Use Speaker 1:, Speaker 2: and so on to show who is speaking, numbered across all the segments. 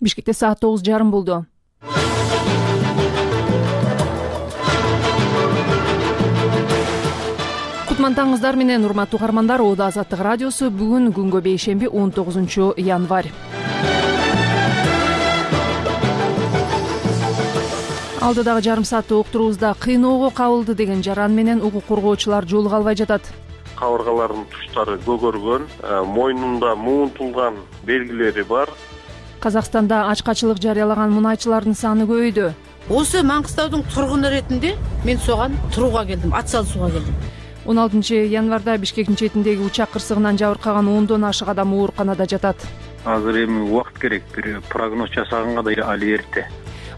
Speaker 1: Бишкекте саат 9:30 болду. Кутмантаңыздар менен урматтуу угармандар, Ода Азаттык радиосу бүгүн күнгө бейшемби 19 январь. Алдыдагы жарым сааттык уктуруубузда кыйноого кабылды деген жаран менен укук коргоочулар жолуга албай жатат.
Speaker 2: Кабыргалардын туштары көгөргөн, мойнунда муунтулган белгилери бар.
Speaker 1: Казакстанда ачкачылык жарыялаган мунайчылардын саны көбөйдү.
Speaker 3: Осы Маңгыстаудун тургуну ретинде мен соган турууга келдим, ат салышууга келдим.
Speaker 1: 16 январда Бишкектин четиндеги учак кырсыгынан жабыркаган 10дон ашык адам ооруканада жатат.
Speaker 4: Азыр эми убакыт керек, бир прогноз жасаганга да али эрте.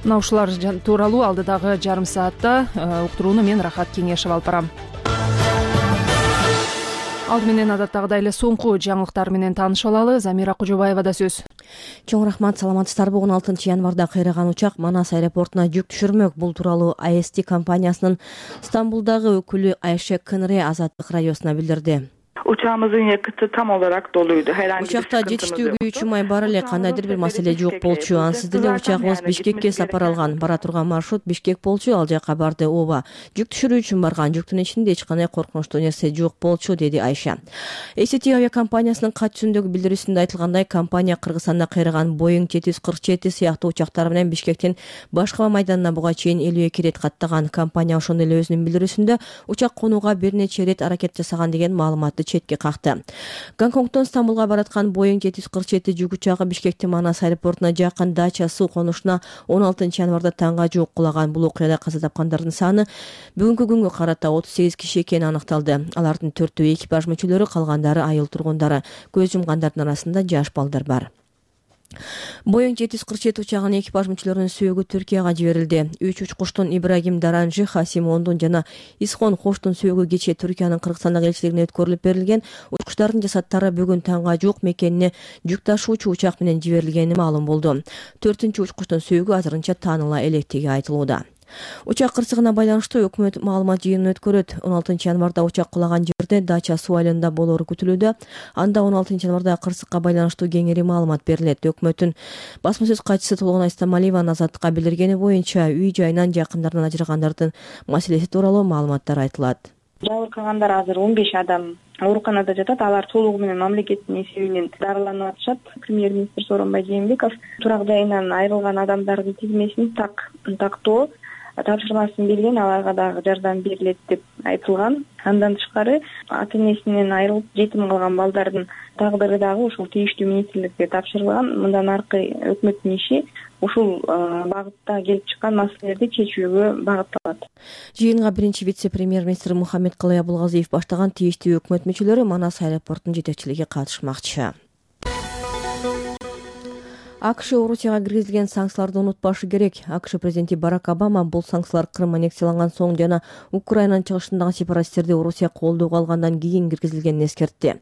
Speaker 1: Мына ушулар тууралуу алдыдагы жарым саатта уктурууну мен Рахат Кеңешев алып барам. Алды менен адаттагыдай эле соңку жаңылыктар менен таанышып алалы. Замира Кожобаевада сөз.
Speaker 5: Чоң рахмат, саламатсыздарбы? 16 январда кыйраган учак Манас аэропортуна жүк түшүрмөк. Бул тууралуу АСТ компаниясынын Стамбулдагы өкүлү Айше Кынре Азаттык радиосуна билдирди.
Speaker 6: Учагыбыздын якыты там olarak doluydu.
Speaker 5: Учакта жетиштүүгө 3 май бар эле, кандайдыр бир маселе жок болчу. Ансыз деле учагыбыз Бишкекке сапар алган. Бара турган маршрут Бишкек болчу, ал жака барды. Ооба, жүк түшүрүү үчүн барган. Жүктүн ичинде эч кандай коркунучтуу нерсе жок болчу, деди Айша. АСТ авиакомпаниясынын кат түзүндөгү билдирүүсүндө айтылгандай, компания Кыргызстанда кыйраган Boeing 747 сыяктуу учактар менен Бишкектин Башкала майданына буга чейин 52 рет каттаган. Компания ошондой эле өзүнүн билдирүүсүндө учак конууга бир нече рет аракет жасаган деген маалыматты четке какты. Гонконгдон Стамбулга бараткан Boeing 747 жүк учагы Бишкектин Манас аэропортуна жакын дача суу конушуна 16 январда таңга жуук кулаган. Бул окуяда каза тапкандардын саны бүгүнкү күнгө карата 38 киши экени аныкталды. Алардын 4-өө экипаж мүчөлөрү, калгандары айыл тургундары. Көз жумгандардын арасында жаш балдар бар. Boeing 747 учагынын экипаж мүчөлөрүнүн сөөгү Түркияга жиберилди. 3 учкучтун Ибрагим Даранжи, Хасим Ондун жана Исхон Хоштун сөөгү кечээ Түркиянын Кыргызстандагы элчилигине өткөрүлүп берилген. Учкучтардын жасаттары бүгүн таңга жуук мекенине жүк ташуучу учак менен жиберилгени маалым болду. 4-үчү учкучтун сөөгү азырынча тааныла электиги айтылууда. Учак кырсыгына байланыштуу өкмөт маалымат жыйынын өткөрөт. 16 январда учак кулаган жерде дача суу айылында болоору күтүлүүдө. Анда 16 январда кырсыкка байланыштуу кеңири маалымат берилет. Өкмөттүн басма сөз катчысы Толгонай Стамалиеванын Азаттыкка билдиргени боюнча, үй жайынан жакындарынан ажырагандардын маселеси тууралуу маалыматтар айтылат.
Speaker 6: Жабыркагандар азыр 15 адам ооруканада жатат. Алар толугу менен мамлекеттин эсебинен дарыланып атышат. Премьер-министр Сооронбай Жээнбеков турак жайынан айрылган адамдардын тизмесин тактоо тапшырмасын берген, аларга дагы жардам берилет деп айтылган. Андан тышкары ата-энесинен айрылып жетим калган балдардын тагдыры дагы ушул тийиштүү министрликке тапшырылган. Мындан аркы өкмөттүн иши ушул багытта келип чыккан маселелерди чечүүгө багытталат.
Speaker 5: Жыйынга биринчи вице-премьер-министр Мухаммед Калай Абулгазиев баштаган тийиштүү өкмөт мүчөлөрү Манас аэропортунун жетекчилиги катышмакчы. АКШ Орусияга киргизилген санкцияларды унутпашы керек. АКШ президенти Барак Обама бул санкциялар Крым аннексияланган соң жана Украинанын чыгышындагы сепаратисттерди Орусия колдоого алгандан кийин киргизилгенин эскертти.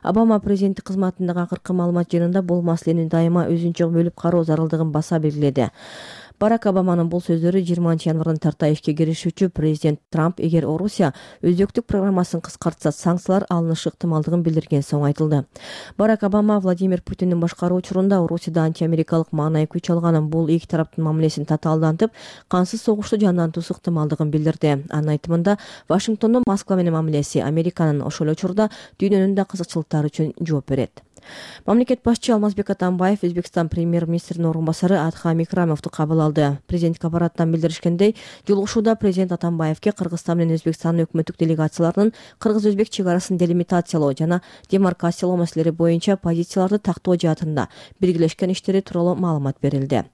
Speaker 5: Обама президенттик кызматындагы акыркы маалымат жыйынында бул маселени дайыма өзүнчө бөлүп кароо зарылдыгын баса белгиледи. Барак Обаманын бул сөздөрү 20 январдан тарта ишке киришүүчү президент Трамп эгер Орусия өзөктүк программасын кыскартса, санкциялар алынышы ыктымалдыгын билдирген соң айтылды. Барак Обама Владимир Путиндин башкаруу учурунда Орусияда антиамерикалык маанай күч алганын, бул эки тараптын мамилесин татаалдантып, кансыз согушту жандантуусу ыктымалдыгын билдирди. Анын айтымында, Вашингтондун Москва менен мамилеси Американын ошол эле учурда дүйнөнүн да кызыкчылыктары үчүн жооп берет. Мамлекет башчы Алмазбек Атамбаев Өзбекстан премьер-министринин орун басары Адхам Икрамовду кабыл алды. Президенттик аппараттан билдиришкендей, жолугушууда президент Атамбаевке Кыргызстан менен Өзбекстандын өкмөттүк делегацияларынын кыргыз-өзбек чек арасын делимитациялоо жана демаркациялоо маселелери боюнча позицияларды тактоо жаатында биргелешкен иштери тууралуу маалымат берилди.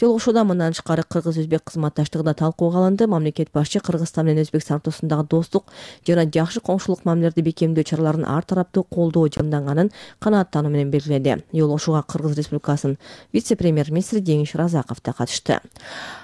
Speaker 5: Жолугушууда мындан тышкары кыргыз-өзбек кызматташтыгы да талкууга алынды. Мамлекет башчы Кыргызстан менен Өзбекстан ортосундагы достук жана жакшы коңшулук мамилелерди бекемдөө чараларын ар тараптуу колдоо жамданганын канааттануу менен белгиледи. Жолугушууга Кыргыз Республикасынын вице-премьер-министри Деңиш Разаков да катышты. чыкты.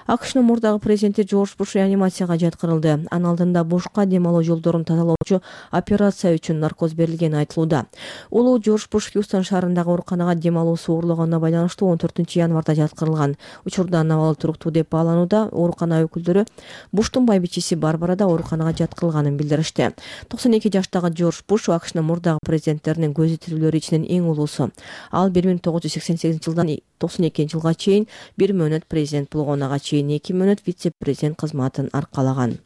Speaker 5: АКШнын мурдагы президенти Жорж Буш реанимацияга жаткырылды. Анын алдында Бушка дем алуу жолдорун тазалоочу операция үчүн наркоз берилгени айтылууда. Улуу Жорж Буш Хьюстон шаарындагы ооруканага дем алуусу оорлогонуна байланыштуу 14 январда жаткырылган. Учурда абалы туруктуу деп бааланууда. Оорукана өкүлдөрү Буштун байбичеси Барбара да ооруканага жаткырылганын билдиришти. 92 жаштагы Жорж Буш АКШнын мурдагы президенттеринин көзү тирүүлөрү ичинен эң улуусу. Ал 1988 жылдан 92 жылга чейин 1 мөөнөт президент болгонага чейин 2 мөөнөт вице-президент кызматын аркалаган.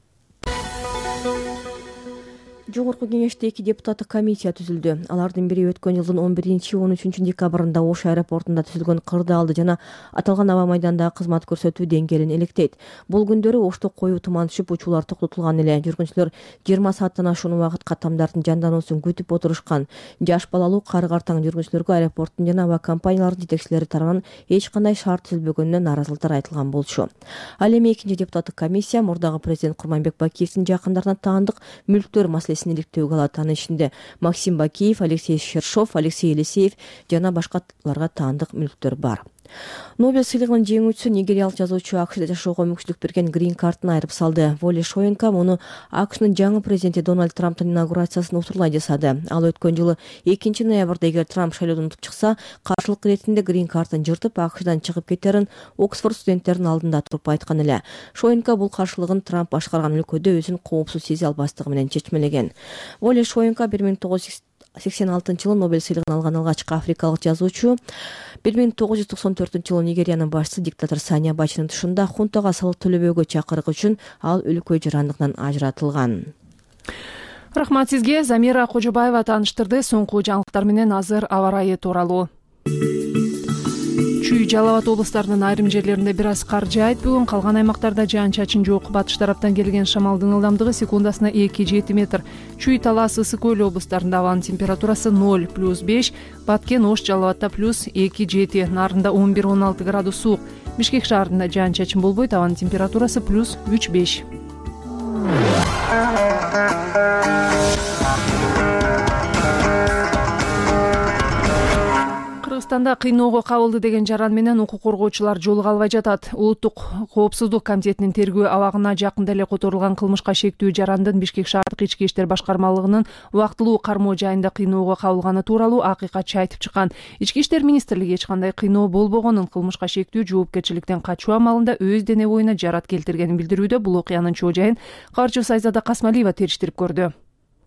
Speaker 5: Жогорку кеңеште 2 депутаттык комиссия түзүлдү. Алардын бири өткөн жылдын 11-13 декабрында Ош аэропортунда түзүлгөн кырдаалды жана аталган аба майдандагы кызмат көрсөтүү деңгээлин электейт. Бул күндөрү Ошто коюу туман түшүп, учуулар токтотулган эле. Жүргүнчүлөр 20 сааттан ашуун убакыт каттамдардын жандануусун күтүп отурушкан. Жаш балалуу кары-картаң жүргүнчүлөргө аэропорттун жана аба компаниялардын жетекчилери тарабынан эч кандай шарт түзүлбөгөнүнө нааразылыктар айтылган болчу. Ал эми 2 депутаттык комиссия мурдагы президент Курманбек Бакиевдин жакындарына таандык мүлктөр маселесин иликтөөгө алат. Анын ичинде Максим Бакиев, Алексей Шершов, Алексей Елисеев жана башкаларга таандык мүлктөр бар. Нобель сыйлыгынын жеңүүчүсү нигериялык жазуучу АКШда жашоого мүмкүнчүлүк берген грин картын айырып салды. Воле Шоенко муну АКШнын жаңы президенти Дональд Трамптын инаугурациясын утурлай жасады. Ал өткөн жылы 2 ноябрда эгер Трамп шайлоодон утуп чыкса, каршылык иретинде грин картын жыртып АКШдан чыгып кетерин Оксфорд студенттеринин алдында туруп айткан эле. Шоенко бул каршылыгын Трамп башкарган өлкөдө өзүн коопсуз сезе албастыгы менен чечмелеген. Воле Шоенко 1986 жылы Нобель сыйлыгын алган алгачкы африкалык жазуучу. 1994 жылы Нигериянын башчысы диктатор Сани Абачынын тушунда хунтага салык төлөбөөгө чакырык үчүн ал өлкө жырандыгынан ажыратылган.
Speaker 1: Рахмат сизге. Замира Кожобаева тааныштырды. Соңку жаңылыктар менен азыр аба ырайы тууралуу. Чүй, Жалал Абад облустарынын айрым жерлеринде бир аз кар жаайт. Бүгүн калган аймактарда жаан-чачын жок. Батыш тараптан келген шамалдын ылдамдыгы секундасына 2-7 метр. Чүй, Талас, Ысык Көл облустарында абанын температурасы 0 +5, Баткен, Ош, Жалал Абадта +2-7, Нарында 11-16 градус суук. Бишкек шаарында жаан-чачын болбойт, абанын температурасы +3-5. Кыргызстанда кыйноого кабылды деген жаран менен укук коргоочулар жолуга албай жатат. Улуттук коопсуздук комитетинин тергөө абагына жакында эле которулган кылмышка шектүү жарандын Бишкек шаардык ички иштер башкармалыгынын убактылуу кармоо жайында кыйноого кабылганы тууралуу акыйкатчы айтып чыккан. Ички иштер министрлиги эч кандай кыйноо болбогонун, кылмышка шектүү жоопкерчиликтен качуу амалында өз дене боюна жарат келтиргенин билдирүүдө. Бул окуянын чоо жайын кабарчыбыз Айзада Касмалиева териштирип көрдү.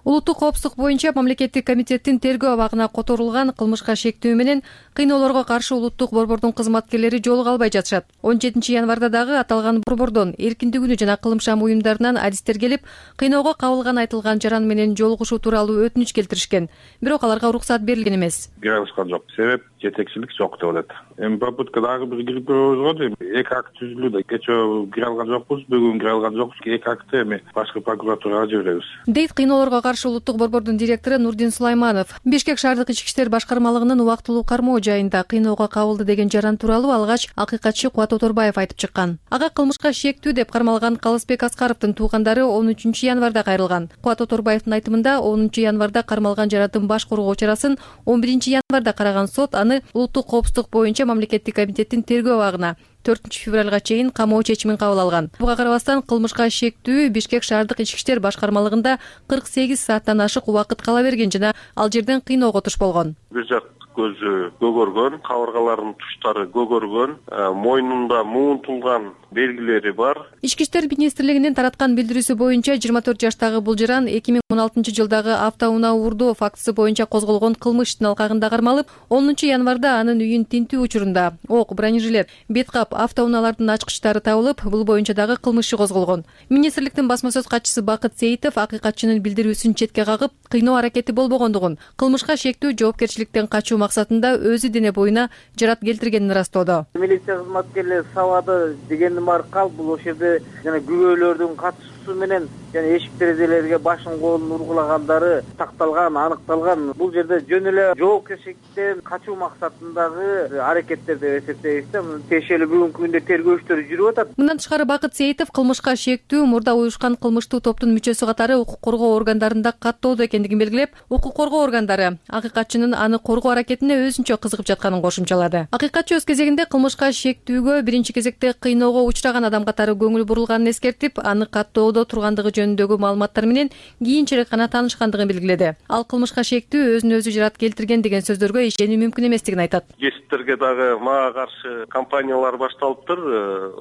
Speaker 7: Улуттук коопсуздук боюнча мамлекеттик комитеттин тергөө абагына которулган кылмышка шектүү менен кыйноолорго каршы улуттук борбордун кызматкерлери жолуга албай жатышат. 17 январда дагы аталган борбордон эркиндик үнү жана кылымшам уюмдарынан адистер келип, кыйноого кабылган айтылган жаран менен жолугушуу тууралуу өтүнүч келтиришкен. Бирок аларга уруксат берилген эмес.
Speaker 2: Киргизган жок. Себеп жетекчилик жок деп атат. Эми попытка дагы бир кирип көрөбүз го дейм. 2 акт түзүлүүдө кечээ кире алган жокпуз, бүгүн кире алган жокпуз. 2 актты эми башкы прокуратурага жиберебиз. Дейт
Speaker 7: кыйноолорго каршы улуттук борбордун директору Нурдин Сулайманов. Бишкек шаардык ички иштер башкармалыгынын убактылуу кармоо жайында кыйноого кабылды деген жаран тууралуу алгач акыйкатчы Кубат Оторбаев айтып чыккан. Ага кылмышка шектүү деп кармалган Калысбек Аскаровдун туугандары 13 январда кайрылган. Кубат Оторбаевдин айтымында 10 январда кармалган жараттын баш коргоо чарасын 11 январда караган сот аны улуттук коопсуздук боюнча мамлекеттик комитеттин тергөө абагына 4 февралга чейин камоо чечимин кабыл алган. Буга карабастан кылмышка шектүү Бишкек шаардык ички иштер башкармалыгында 48 сааттан ашык убакыт кала берген жана ал жерден кыйноого туш болгон.
Speaker 2: Бир жак көзү көгөргөн, кабыргаларынын туштары көгөргөн, мойнунда муунтулган белгилери бар.
Speaker 7: Ички иштер министрлигинин тараткан билдирүүсү боюнча 24 жаштагы бул жаран 2016 жылдагы автоунаа уурдоо фактысы боюнча козголгон кылмыш иштин алкагында кармалып, 10 январда анын үйүн тинтүү учурунда ок, бронежилет, беткап, автоунаалардын ачкычтары табылып, бул боюнча дагы кылмыш козголгон. Министрликтин басма сөз катчысы Бакыт Сейитов акыйкатчынын билдирүүсүн четке кагып, кыйноо аракети болбогондугун, кылмышка шектүү жоопкерчиликтен качуу максатында өзү дене боюна жарат келтиргенин ырастоодо.
Speaker 8: Милиция кызматкерлери сабады дегендин баары калп, бул ошол жерде жана күбөлөрдүн катышуусу менен жана эшик терезелерге башын колун ургулагандары такталган, аныкталган. Бул жерде жөн эле жоопкерчиликтен качуу максатындагы аракеттер деп эсептейбиз да. Тиешелүү бүгүнкү күндө тергөө иштери жүрүп атат.
Speaker 7: Мындан тышкары Бакыт Сейитов кылмышка шектүү мурда уюшкан кылмыштуу топтун мүчөсү катары укук коргоо органдарында каттоодо экендигин белгилеп, укук коргоо органдары акыйкатчынын аны коргоо аракетине өзүнчө кызыгып жатканын кошумчалады. Акыйкатчы өз кезегинде кылмышка шектүүгө биринчи кезекте кыйноого учураган адам катары көңүл бурулганын эскертип, аны каттоодо тургандыгы жөнүндөгү маалыматтар менен кийинчерээк гана таанышкандыгын белгиледи. Ал кылмышка шектүү өзүн өзү жарат келтирген деген сөздөргө ишенүү мүмкүн эместигин айтат.
Speaker 9: Кесиптерге дагы мага каршы кампаниялар башталыптыр.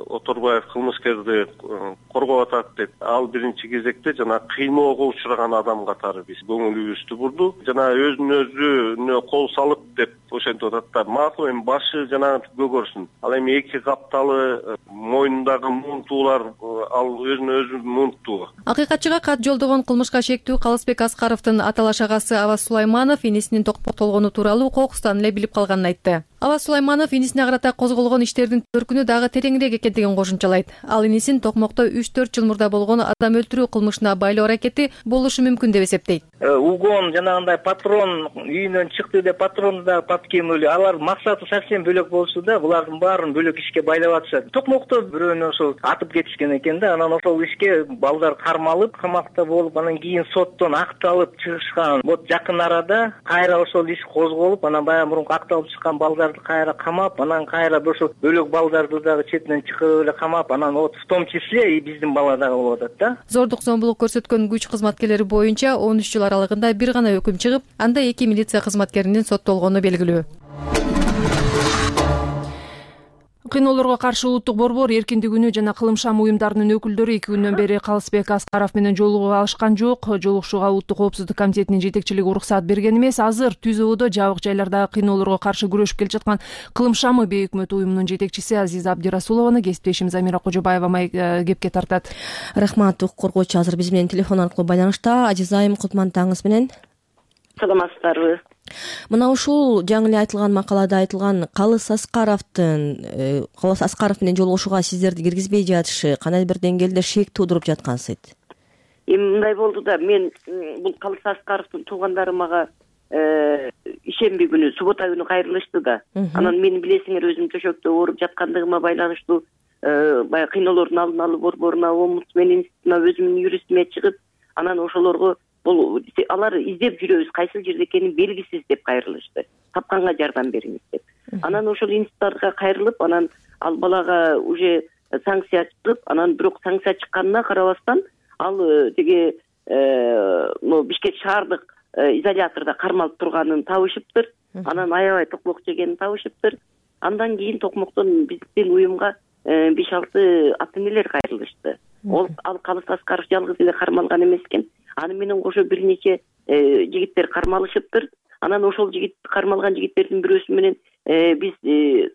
Speaker 9: Оторбаев кылмышкерди коргоп атат деп. Ал биринчи кезекте жана кыйноого учураган адам катары биз көңүлүбүздү бурду. Жана өзүн өзүнө кол салып деп ошентип атат да. Макул, эми башы жана көгөрсүн. Ал эми эки капталы мойнундагы муунтуулар ал өзүн өзү муунттуу.
Speaker 7: Акыйкатчыга кат жолдогон кылмышка шектүү Калысбек Аскаровдун аталаш агасы Аваз Сулайманов инисинин токмоктолгону тууралуу кокустан эле билип калганын айтты. Аваз Сулайманов инисине карата козголгон иштердин төркүнү дагы тереңирээк экендигин кошумчалайт. Ал инисин токмокто 3-4 жыл мурда болгон адам өлтүрүү кылмышына байлоо аракети болушу мүмкүн деп эсептейт.
Speaker 8: Угон жанагындай патрон үйүнөн чыкты деп патронду да подкемили. Алар максаты совсем бөлөк болчу да, булардын баарын бөлөк ишке байлап атышат. Токмокто бирөөнү ошол атып кетишкен экен да, анан ошол ишке балдар кармалып, камакта болуп, анан кийин соттон акталып чыгышкан. Вот жакын арада кайра ошол иш козголуп, анан баягы мурунку акталып чыккан балдарды кайра камап, анан кайра ошол бөлөк балдарды дагы четинен чыгып эле камап, анан вот в том числе и биздин бала дагы болуп атат да.
Speaker 7: Зордук зомбулук көрсөткөн күч кызматкерлери боюнча 13 жыл аралыгында бир гана өкүм чыгып, анда 2 милиция кызматкеринин соттолгону белгилүү.
Speaker 1: Кыйноолорго каршы улуттук борбор эркиндик үнү жана кылымшам уюмдарынын өкүлдөрү 2 күндөн бери Калысбек Аскаров менен жолугуп алышкан жок. Жолугушууга улуттук коопсуздук комитетинин жетекчилиги уруксат берген эмес. Азыр ТүЗОдо жабык жайлардагы кыйноолорго каршы күрөшүп келе жаткан кылымшамы бейөкмөт уюмунун жетекчиси Азиза Абдирасулованы кесиптешим Замира Кожобаева кепке тартат.
Speaker 5: Рахмат. Укук коргоочу азыр биз менен телефон аркылуу байланышта. Азиза айым, кутмандаңыз менен.
Speaker 10: Саламатсыздарбы?
Speaker 5: Мына ушул жаңы эле айтылган макалада айтылган Калыс Аскаров менен жолугушууга сиздерди киргизбей жатышы кандайдыр бир деңгээлде шек туудуруп жаткансыйт.
Speaker 10: Эми мындай болду да, мен бул Калыс Аскаровдун туугандары мага ишемби күнү, суббота күнү кайрылышты да. Анан мени билесиңер, өзүм төшөктө ооруп жаткандыгыма байланыштуу баягы кыйноолордун алдын алуу борборуна, омбудсмен институтуна, өзүмдүн юристиме чыгып, анан ошолорго бул алар издеп жүрөбүз, кайсыл жерде экени белгисиз деп кайрылышты. Тапканга жардам бериңиз деп. Анан ошол институттарга кайрылып, анан ал балага уже санкция чыгып, анан бирок санкция чыкканына карабастан ал теге Бишкек шаардык изолятордо кармалып турганын табышыптыр. Анан аябай токмок жегенин табышыптыр. Андан кийин токмоктон биздин уюмга 5-6 ата энелер кайрылышты. Ал Калыс Аскаров жалгыз эле кармалган эмес экен. Аны менен кошо бир нече жигиттер кармалышыптыр. Анан ошол кармалган жигиттердин бирөөсү менен биз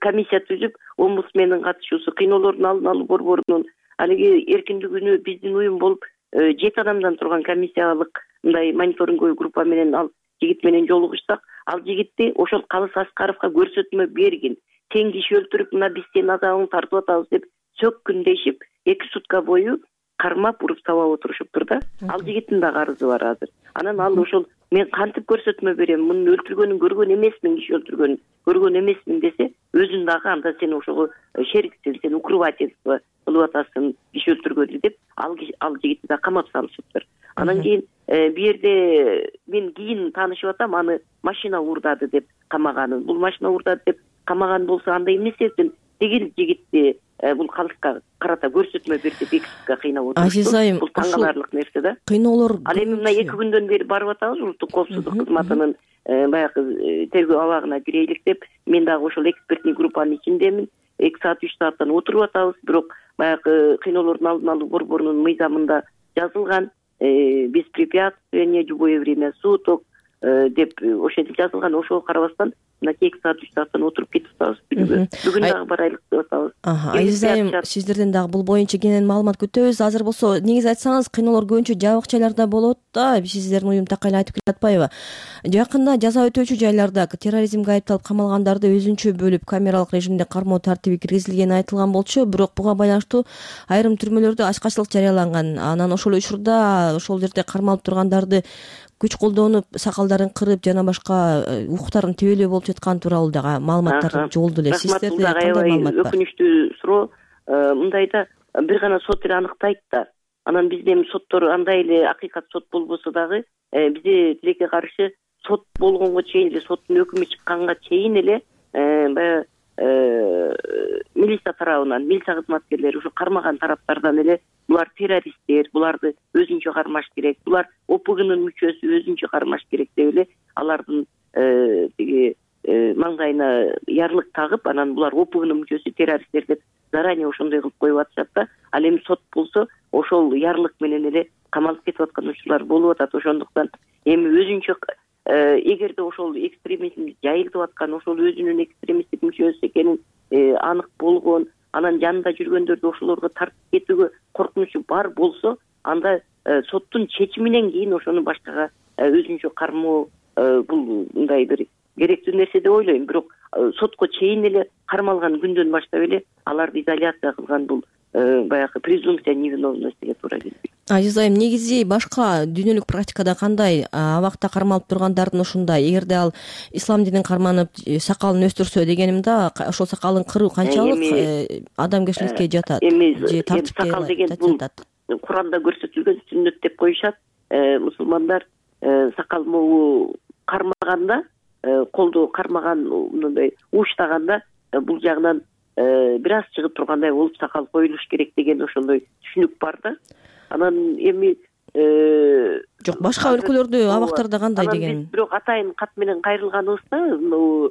Speaker 10: комиссия түзүп, омбудсмендин катышуусу, кыйноолордун алдын алуу борборунун алиги эркиндик үнү биздин уюм болуп 7 адамдан турган комиссиялык мындай мониторинговый группа менен ал жигит менен жолугушсак, ал жигитти ошол Калыс Аскаровго көрсөтмө бергин. Сен киши өлтүрүп, мына биз сенин азабыңды тартып атабыз деп сөккүндешип 2 сутка бою кармап, уруп сабап отурушуптур да. Ал жигиттин да арызы бар азыр. Анан ал ошол мен кантип көрсөтмө берем, мунун өлтүргөнүн көргөн эмесмин, киши өлтүргөнүн көргөн эмесмин десе, өзүн дагы анда сен ошого шериксиң, сен укрывательство кылып атасың, киши өлтүргөндү деп ал жигитти да камап салышыптыр. Анан кийин бу жерде мен кийин таанышып атам, аны машина уурдады деп камаганын. Бул машина уурдады деп камаган болсо, анда эмне себептен тигил жигитти бул Калыска карата көрсөтмө берди, бекитке кыйнап отурушту.
Speaker 5: Азиз айым,
Speaker 10: бул таңгаларлык нерсе да.
Speaker 5: Кыйноолор
Speaker 10: ал эми мына 2 күндөн бери барып атабыз, улуттук коопсуздук кызматынын баягы тергөө абагына кирелик деп. Мен дагы ошол экспертный группанын ичиндемин. 2 саат 3 сааттан отуруп атабыз, бирок баягы кыйноолордун алдын алуу борборунун мыйзамында жазылган беспрепятствие, любое время суток, деп ошентип жазылган. Ошого карабастан мына кечки саат 3 сааттан отуруп кетип атабыз. Бүгүн дагы барайлык деп атабыз.
Speaker 5: Азиз айым, сиздерден дагы бул боюнча кенен маалымат күтөбүз. Азыр болсо негизи айтсаңыз, кыйноолор көбүнчө жабык жайларда болот да. Сиздердин уюм такай эле айтып келатпайбы? Жакында жаза өтөөчү жайларда терроризмге айыпталып камалгандарды өзүнчө бөлүп камералык режимде кармоо тартиби киргизилгени айтылган болчу, бирок буга байланыштуу айрым түрмөлөрдө ачкачылык жарыяланган. Анан ошол учурда ошол жерде кармалып тургандарды күч колдонуп, сакалдарын кырып жана башка укуктарын тебелөө болуп жаткан тууралуу дагы маалыматтар жолду эле. Сиздерде кандай маалымат бар?
Speaker 10: Өкүнүчтүү суроо. Мындайда бир гана сот эле аныктайт да. Анан бизде эми соттор андай эле акыйкат сот болбосо дагы бизде тилекке каршы сот болгонго чейин эле, соттун өкүмү чыкканга чейин эле баягы милиция тарабынан, милиция кызматкерлери ушу кармаган тараптардан эле булар террористтер, буларды өзүнчө кармаш керек, булар ОПГнын мүчөсү, өзүнчө кармаш керек деп эле алардын тиги маңдайына ярлык тагып, анан булар ОПГнын мүчөсү, террористтер деп заранее ошондой кылып коюп атышат да. Ал эми сот болсо ошол ярлык менен эле камалып кетип аткан учурлар болуп атат. Ошондуктан эми өзүнчө эгерде ошол экстремизм жайылып аткан, ошол өзүнүн экстремисттик мүчөсү экенин анык болгон, анан жанында жүргөндөрдү ошолорго тартып кетүүгө коркунучу бар болсо, анда соттун чечиминен кийин ошону башкага өзүнчө кармоо бул мындай бир керектүү нерсе деп ойлойм. Бирок сотко чейин эле кармалган күндөн баштап эле аларды изоляция кылган бул баягы презумпция невиновностиге туура келбейт.
Speaker 5: Азиз айым, негизи башка дүйнөлүк практикада кандай? Абакта кармалып тургандардын ушундай, эгерде ал ислам динин карманып сакалын өстүрсө дегеним да, ошол сакалын кыруу канчалык адамгерчиликке жатат? Же тартипке
Speaker 10: сакал деген бул Куранда көрсөтүлгөн сүннөт деп коюшат. Мусулмандар сакал могу кармаганда, колду кармаган, мындай ууштаганда бул жагынан бир аз чыгып тургандай болуп сакал коюлуш керек деген ошондой түшүнүк бар да. Анан эми
Speaker 5: жок, башка өлкөлөрдө абактарда кандай деген?
Speaker 10: Бирок атайын кат менен кайрылганыбызда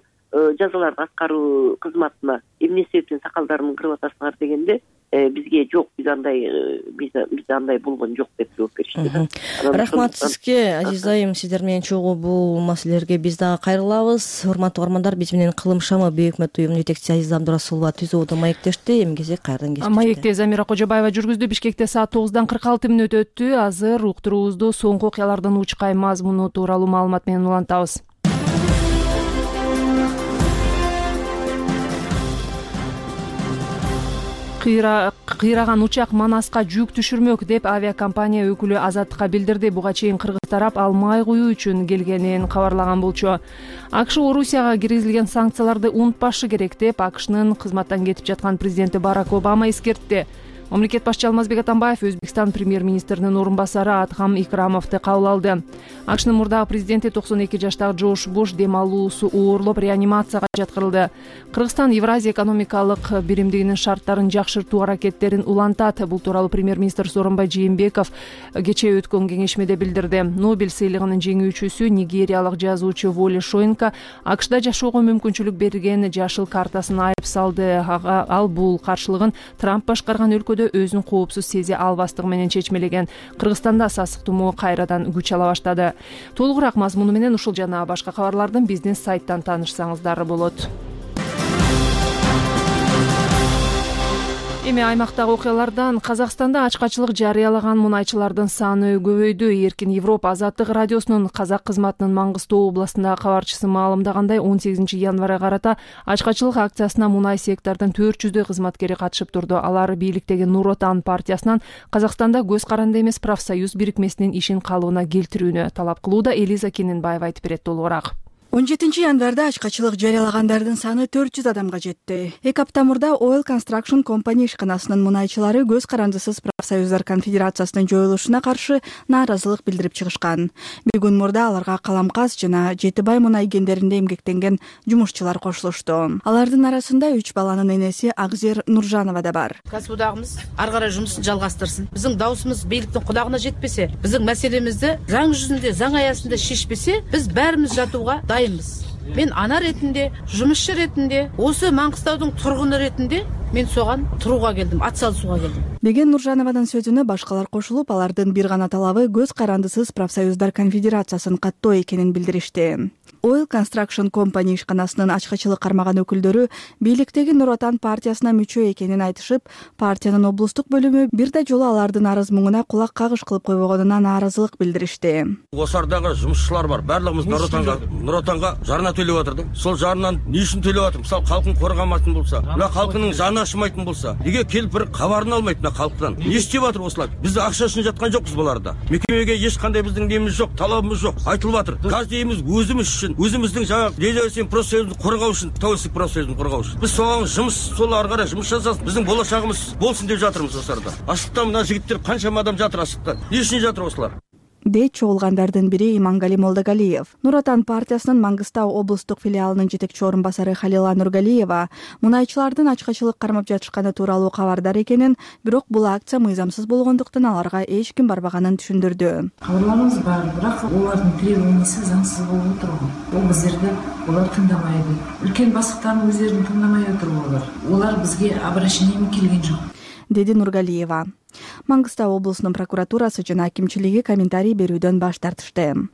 Speaker 10: жазаларды аткаруу кызматына эмне себептен сакалдарын кырып атасыңар дегенде бизге жок, биз андай болгон жок деп жооп беришти.
Speaker 5: Рахмат сизге, Азиз айым. Сиздер менен чогуу бул маселелерге биз дагы кайрылабыз. Урматтуу угармандар, биз менен Кылым шамы Бейөкмөт уюмунун жетекчиси Азиза Абдурасулова түзүүдө маектешти. Эми кезек кайрадан кечти.
Speaker 1: Маекте Замира Кожобаева жүргүздү. Бишкекте саат 9:46 өттү. Азыр уктуруубузду соңку окуялардын учкай мазмуну тууралуу маалымат менен улантабыз. Кыйраган учак Манаска жүк түшүрмөк деп авиакомпания өкүлү Азаттыкка билдирди. Буга чейин кыргыз тарап ал май куюу үчүн келгенин кабарлаган болчу. АКШ Орусияга киргизилген санкцияларды унутпашы керек деп АКШнын кызматтан кетип жаткан президенти Барак Обама эскертти. Мамлекет башчы Алмазбек Атамбаев Өзбекстан премьер-министринин орун басары Адхам Икрамовду кабыл алды. АКШнын мурдагы президенти 92 жаштагы Джордж Буш дем алуусу ооруп реанимацияга жаткырылды. Кыргызстан Евразия экономикалык биримдигинин шарттарын жакшыртуу аракеттерин улантат. Бул тууралуу премьер-министр Сооронбай Жээнбеков кечээ өткөн кеңешмеде билдирди. Нобель сыйлыгынын жеңүүчүсү нигериялык жазуучу Воли Шоинка АКШда жашоого мүмкүнчүлүк берген жашыл картасын айып салды. Ал бул каршылыгын Трамп башкарган өлкөдө өзүн коопсуз сезе албастыгы менен чечмелеген. Кыргызстанда сасык тумоо кайрадан күч ала баштады. Толугураак мазмуну менен ушул жана башка кабарлардын биздин сайттан таанышсаңыздар болот. Эми аймактагы окуялардан. Казакстанда ачкачылык жарыялаган мунайчылардын саны көбөйдү. Эркин Европа Азаттык радиосунун казак кызматынын Маңгыстоо областындагы кабарчысы маалымдагандай, 18 январга карата ачкачылык акциясына мунай сектордун 400 кызматкери катышып турду. Алар бийликтеги Нур Отан партиясынан Казакстанда көз каранды эмес профсоюз бирикмесинин ишин калыбына келтирүүнү талап кылууда. Элиза Кененбаева айтып берет толугураак.
Speaker 11: 17 январда ачкачылык жарыялагандардын саны 400 адамга жетти. 2 апта мурда Oil Construction Company ишканасынын мунайчылары көз карандысыз профсоюздар конфедерациясынын жоюлушуна каршы нааразылык билдирип чыгышкан. Бир күн мурда аларга Каламказ жана Жетибай мунай кендеринде эмгектенген жумушчулар кошулушту. Алардын арасында 3 баланын энеси Акзер Нуржанова да бар.
Speaker 3: Касыбдагыбыз ары карай жумушун жалгастырсын. Биздин дауысыбыз бийликтин кудагына жетпесе, биздин маселемизди заң жүзүндө, заң аясында шешпесе, биз баарыбыз жатууга Мен ана ретинде, жумушчу ретинде, осы Маңгыстаудун тургуну ретинде мен соган турууга келдим, ат салышууга келдим
Speaker 11: деген Нуржанованын сөзүнө башкалар кошулуп, алардын бир гана талабы көз карандысыз профсоюздар конфедерациясын каттоо экенин билдиришти. Oil Construction Company ишканасынын ачкычылык кармаган өкүлдөрү бийликтеги Нур Отан партиясына мүчө экенин айтышып, партиянын облустук бөлүмү бир да жолу алардын арыз муңуна кулак кагыш кылып койбогонуна нааразылык билдиришти.
Speaker 12: Осардагы жумушчулар бар, баардыгыбыз Нур Отанга жарна төлөп атырдык. Сол жарнанын эмне үчүн төлөп атыр? Мисалы, калкын коргамайтын болса, мына калкынын жаны ашымайтын болса, эмнеге келип бир кабарын алмайт мына калктан? Эмне иштеп атыр осулар? Биз акча үчүн жаткан жокпуз буларда. Мекемеге эч кандай биздин немиз жок, талабыбыз жок. Айтылып атыр. Каждыйыбыз өзүбүз үчүн, өзүбүздүн жаңа независимый профсоюздун коргоо үчүн, тәуелсиздик профсоюздун коргоо үчүн. Биз соң жумуш, сол ары карай жумуш жасасын, биздин болочогубуз болсун деп жатырмыз осарда. Аштыктан мына жигиттер канча адам жатыр аштыкта. Эмне үчүн жатыр осулар?
Speaker 11: Дейт чогулгандардын бири Имангали Молдогалиев. Нур Отан партиясынын Мангыстау облустук филиалынын жетекчи орун басары Халила Нургалиева мунайчылардын ачкачылык кармап жатышканы тууралуу кабардар экенин, бирок бул акция мыйзамсыз болгондуктан аларга эч ким барбаганын түшүндүрдү.
Speaker 13: Кабарларыбыз бар, бирок булардын требованиясы заңсыз болуп отурган. Бул биздерди булар тыңдамайды. Үлкен басыктарын өздөрүн тыңдамай отурулар. Улар бизге обращение келген жок,
Speaker 11: деди Нургалиева. Мангыстау облусунун прокуратурасы жана акимчилиги комментарий берүүдөн баш тартышты.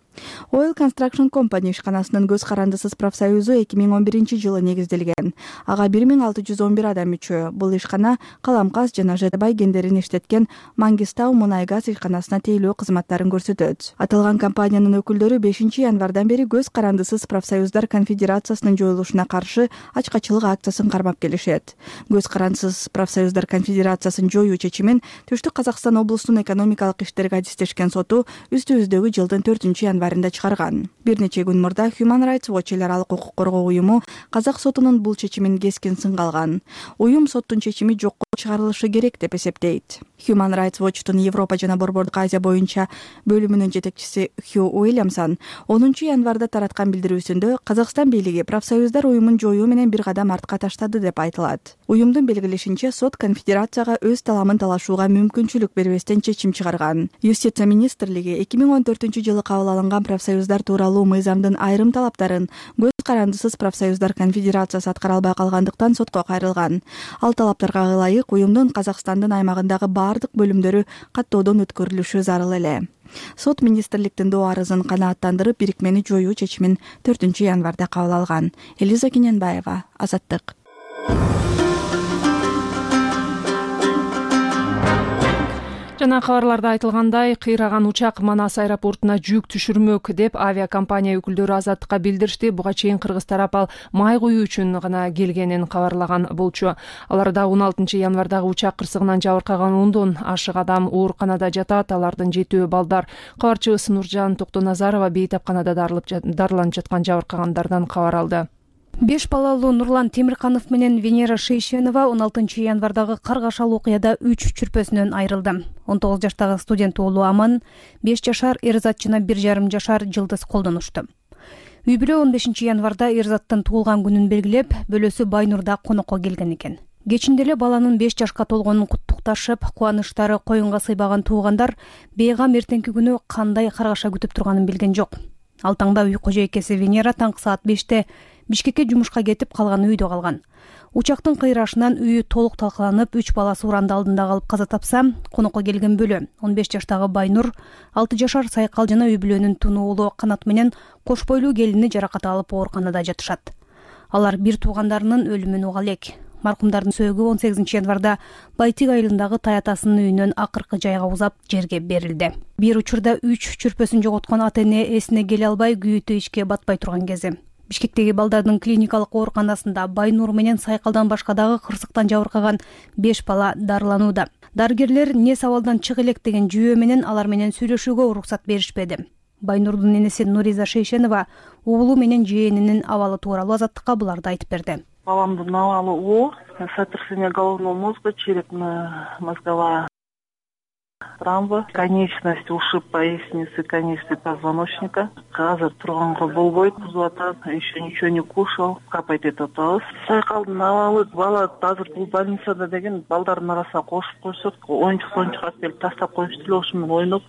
Speaker 11: Oil Construction Company ишканасынын көз карандысыз профсоюзу 2011-жылы негизделген. Ага 1611 адам мүчө. Бул ишкана каламкас жана жетебай кендерин иштеткен Мангистау мунай-газ ишканасына тейлөө кызматтарын көрсөтөт. Аталган компаниянын өкүлдөрү 5 январдан бери көз карандысыз профсоюздар конфедерациясынын жоюлушуна каршы ачкачылык акциясын кармап келишет. Көз карандысыз профсоюздар конфедерациясын жоюу чечимин Түштүк Казакстан облусунун экономикалык иштерге адистешкен соту үстүбүздөгү жылдын 4-январында чыгарган. Бир нече күн мурда Human Rights Watch эл аралык укук коргоо уюму казак сотунун бул чечимин кескин сынга алган. Уюм соттун чечими жокко чыгарылышы керек деп эсептейт. Human Rights Watchtун Европа жана Борбордук Азия боюнча бөлүмүнүн жетекчиси Хью Уильямсон 10 январда тараткан билдирүүсүндө Казакстан бийлиги профсоюздар уюмун жоюу менен бир кадам артка таштады деп айтылат. Уюмдун белгилешинче, сот конфедерацияга өз таламын талашууга мүмкүнчүлүк бербестен чечим чыгарган. Юстиция министрлиги 2014-жылы кабыл алынган профсоюздар тууралуу мыйзамдын айрым талаптарын көз карандысыз профсоюздар конфедерациясы аткара албай калгандыктан сотко кайрылган. Ал талаптарга ылайык уюмдун Казакстандын аймагындагы бардык бөлүмдөрү каттоодон өткөрүлүшү зарыл эле. Сот министрликтин доо арызын канааттандырып, бирикмени жоюу чечимин 4-январда кабыл алган. Элиза Кененбаева, Азаттык.
Speaker 1: Жана кабарларда айтылгандай, кыйраган учак Манас аэропортуна жүк түшүрмөк деп авиакомпания өкүлдөрү Азаттыкка билдиришти. Буга чейин кыргыз тарап ал май куюу үчүн гана келгенин кабарлаган болчу. Аларда 16 январдагы учак кырсыгынан жабыркаган 10дон ашык адам ооруканада жатат. Алардын 7 балдар. Кабарчыбыз Нуржан Токтоназарова бейтапканада дарыланып жаткан жабыркагандардан кабар алды.
Speaker 14: 5 балалуу Нурлан Темирканов менен Венера Шейшенова 16 январдагы каргашал окуяда 3 чүрпөсүнөн айрылды. 19 жаштагы студент уулу Аман, 5 жашар Эрзат жана 1,5 жашар Жылдыз колдонушту. Үй бүлө 15 январда Эрзаттын туулган күнүн белгилеп, бөлөсү Байнурда конокко келген экен. Кечинде эле баланын 5 жашка толгонун куттукташып, кубанычтары коюнга сыйбаган туугандар бейгам эртеңки күнү кандай каргаша күтүп турганын билген жок. Ал таңда үй кожойкеси Венера таңкы саат 5-те Бишкекке жумушка кетип, калганы үйдө калган. Учактын кыйрашынан үйү толук талкаланып, 3 баласы уранды алдында калып каза тапса, конокко келген бөлө 15 жаштагы Байнур, 6 жашар Сайкал жана үй бүлөнүн туну уулу Канат менен кош бойлуу келини жаракат алып ооруканада жатышат. Алар бир туугандарынын өлүмүн уга элек. Маркумдардын сөөгү 18 январда Байтик айылындагы таятасынын үйүнөн акыркы жайга узап жерге берилди. Бир учурда 3 чүрпөсүн жоготкон ата-эне эсине келе албай күйүүтү ишке батпай турган кези. Бишкектеги балдардын клиникалык ооруканасында Байнур менен Сайкалдан башка дагы кырсыктан жабыркаган 5 бала дарыланууда. Дарыгерлер не сабалдан чык элек деген жүйөө менен алар менен сүйлөшүүгө уруксат беришпеди. Байнурдун энеси Нуриза Шейшенова уулу менен жээнинин абалы тууралуу Азаттыкка буларды айтып берди.
Speaker 15: Баламдын абалы оор, сотрясение головного мозга, черепно-мозговая травма, конечность, ушиб поясницы, конечности позвоночника. Азыр турганга болбойт, кузуп атат, еще ничего не кушал, капать атабыз. Сайкалдын абалы бала азыр бул больницада деген балдардын арасына кошуп койсок, оюнчук алып келип тастап коюшту эле, ошо менен ойноп